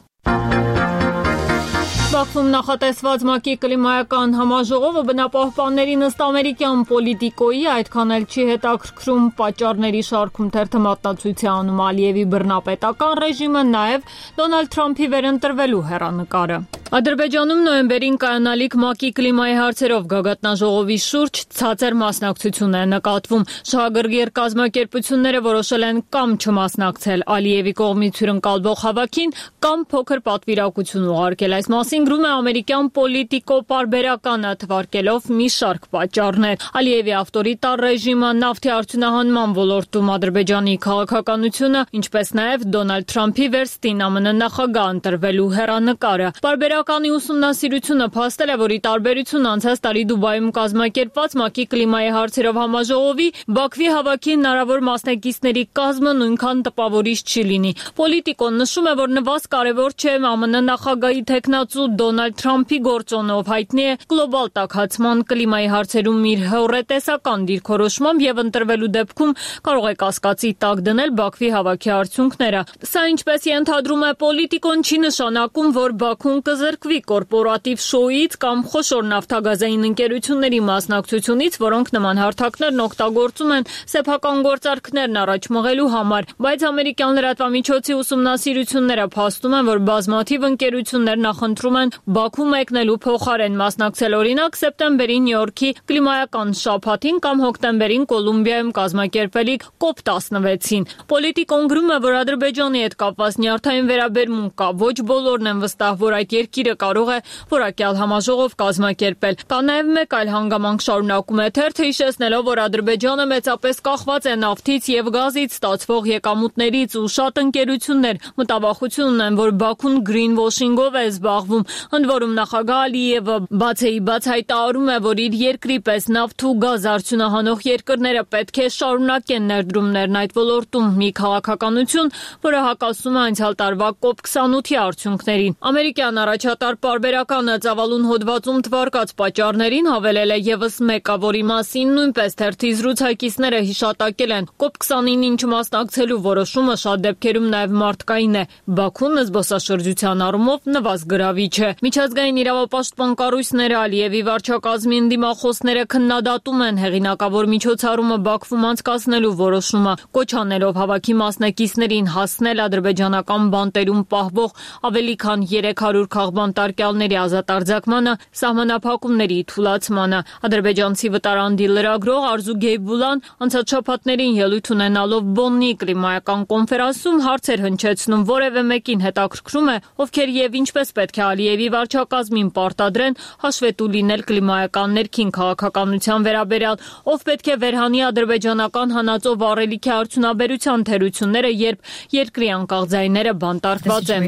Բաքվում նախատեսված ՄԱԿ-ի կլիմայական համաժողովը բնապահպաններին ըստ ամերիկյան պոլիտիկոյի այդքան էլ չի հետաքրքրում պատճառների շարքում թերթը մատնացույց է անում Ալիևի բռնապետական ռեժիմը, նաև Դոնալդ Թրամփի վերընտրվելու հեռանկարը։ Ադրբեջանում նոյեմբերին կայանալիք ՄԱԿ-ի կլիմայի հարցերով գագաթնաժողովի շուրջ ցածր մասնակցություն է նկատվում։ Շահագրգիռ կազմակերպությունները որոշել են կամ չմասնակցել Ալիևի կողմից հյուրընկալվող հավաքին, կամ փոքր պատվիրակություն ուղարկել։ Այս մասին գրում է ամերիկյան պոլիտիկո պարբերականը, թվարկելով մի շարք պատճառներ։ Ալիևի ավտորիտար ռեժիմը, նավթի արդյունահանման ոլորտում Ադրբեջանի քաղաքականությունը, ինչպես նաև Դոնալդ Թրամփի վերստին ԱՄՆ նախագահ ընտրվելու հեռանկարը։ Պարբերականի ուսումնասիրությունը փաստել է, որ ի տարբերություն անցած տարի Դուբայում կազմակերպված ՄԱԿ-ի կլիմայի հարցերով համաժողովի, Բաքվի հավաքի հնարավոր մասնակիցների կազմը նույնքան տպավորիչ չի լինի։ Պոլիտիկոն նշում է, որ նվազ կարևոր չէ ԱՄՆ նախագահի թեկնածու Դոնալդ Թրամփի գործոնով հայտնի է գլոբալ տաքացման կլիմայի հարցերում իր հեռուստատեսական դիրքորոշմամբ եւ ընտրվելու դեպքում կարող է կասկածի տակ դնել Բաքվի հավաքի արդյունքները։ Սա ինչպես ենթադրում է պոլիտիկոն, չի նշանակում, որ Բաքուն կզրկվի կորպորատիվ շոուից կամ խոշոր նավթագազային ընկերությունների մասնակցությունից, որոնք նման հարթակներն օգտագործում են սեփական գործարքներն առաջ մղելու համար, բայց ամերիկյան լրատվամիջոցի ուսումնասիրությունները փաստում են, որ բազմաթիվ ընկերություններ նախընտրում են Բաքու մեկնելու փոխարեն մասնակցել օրինակ սեպտեմբերին Նյու Յորքի կլիմայական շաբաթին կամ հոկտեմբերին Կոլումբիայում կազմակերպվելիք կոպ տասնվեցին։ Պոլիտիկոն գրում է, որ Ադրբեջանի հետ կապված նյարդային վերաբերմունք կա, ոչ բոլորն են վստահ, որ այդ երկիրը կարող է որակյալ համաժողով կազմակերպել։ Կա նաև մեկ այլ հանգամանք, շարունակում է թերթը, հիշեցնելով, որ Ադրբեջանը մեծապես կախված է նավթից եւ գազից ստացվող եկամուտներից ու շատ ընկերություններ մտավախություն ունեն, որ Բաքուն գրին վոշինգով է զբաղվում։ Ընդ որում նախագահ Ալիևը բացեի բաց հայտարարում է, որ իր երկրի պես նավթ ու գազ արդյունահանող երկրները պետք է շարունակեն ներդրումներն այդ ոլորտում, մի քաղաքականություն, որը հակասում է անցյալ տարվա կոպ քսանութի արդյունքներին։ Ամերիկյան առաջ առաջատար պարբերականը ծավալուն հոդվածում թվարկած պատճառներին հավելել է եւս մեկը, որի մասին նույնպես թերթի զրուցակիցները հիշատակել են։ կոպ քսանինին չմասնակցելու որոշումը շատ դեպքերում նաեւ մարդկային է։ Բաքուն զբոսաշրջության առումով նվազգրավիչ է։ Միջազգային իրավապաշտպան կառույցները Ալիևի վարչակազմին դիմախոսները քննադատում են հեղինակավոր միջոցառումը Բաքվում անցկացնելու որոշումը, կոչ անելով հավաքի մասնակիցներին հասնել ադրբեջանական բանտերում պահվող ավելի քան երեք հարյուր քաղբանտարկյալների ազատարձակմանը, սահմանափակումների թուլացմանը։ Ադրբեջանցի վտարանդի լրագրող Արզու Գեյբուլան անցած շաբաթներին ելույթ ունենալով Բոննի կլիմայական կոնֆերանսում հարցեր հնչեցնում, որևէ մեկին հետաքրքրում է, ովքեր եւ ինչպես պետք է Ալիևի վարչակազմին պարտադրեն հաշվետու լինել կլիմայական ներքին քաղաքականության վերաբերյալ, ով պետք է վերհանի ադրբեջանական հանածո վառելիքի արդյունաբերության թերությունները, երբ երկրի անկախ ձայները բանտարկված են։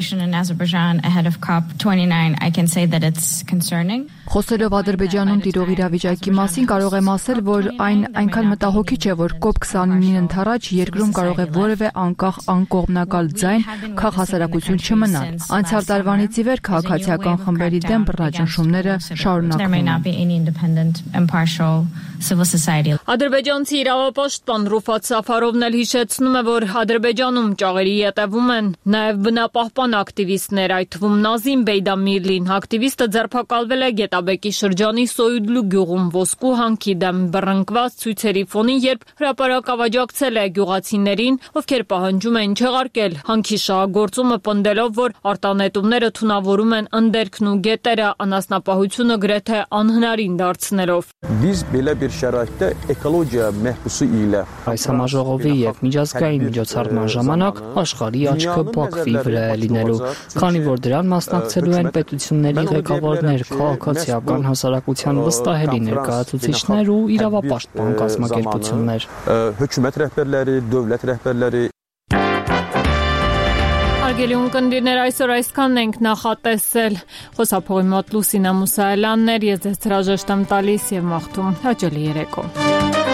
Խոսելով Ադրբեջանում տիրող իրավիճակի մասին կարող եմ ասել, որ այն այնքան մտահոգիչ է, որ կոպ քսանինին ընդառաջ երկրում կարող է որևէ անկախ անկողմնակալ ձայն քաղաքասարակություն չմնալ։ Անցյալ տարվանից ի վեր քաղաքացիական խմբերի դեմ բռնաճնշումները շարունակվում են։ Ադրբեջանցի իրավապաշտպան Ռուֆատ Սաֆարովն էլ հիշեցնում է, որ Ադրբեջանում ճաղերի ետևում են նաև բնապահպան ակտիվիստներ, այդ թվում Նազիմ Բեյդամիրլին։ Ակտիվիստը ձերբակալվել է Գետաբեկի շրջանի Սոյուդլու գյուղում ոսկու հանքի դեմ բռնկված ցույցերի ֆոնին, երբ հրապարակ ավաճակցել է գյուղացիներին, ովքեր պահանջում են չեղարկել հանքի շահագործումը, պնդելով, որ արտանետումները թունավորում են ընդերքն ու գետերը, անասնապահությունը գրեթե անհնարին դարձնելով։ Այս համաժողովի եւ միջազգային միջոցառման ժամանակ աշխարհի աչքը Բաքվի վրա է լինելու, քանի որ դրան մասնակցելու են պետությունների ղեկավարներ, քաղաքացիական հասարակության վստահելի ներկայացուցիչներ ու իրավապաշտպան կազմակերպություններ։ Hökumət rəhbərləri, dövlət rəhbərləri Հարգելի ունկնդիրներ, այսօր այսքանն ենք նախատեսել։ Խոսափողի մոտ Լուսինա Մուսայելյանն էր, ես ձեզ հրաժեշտ եմ տալիս եւ մաղթում հաճելի երեկո։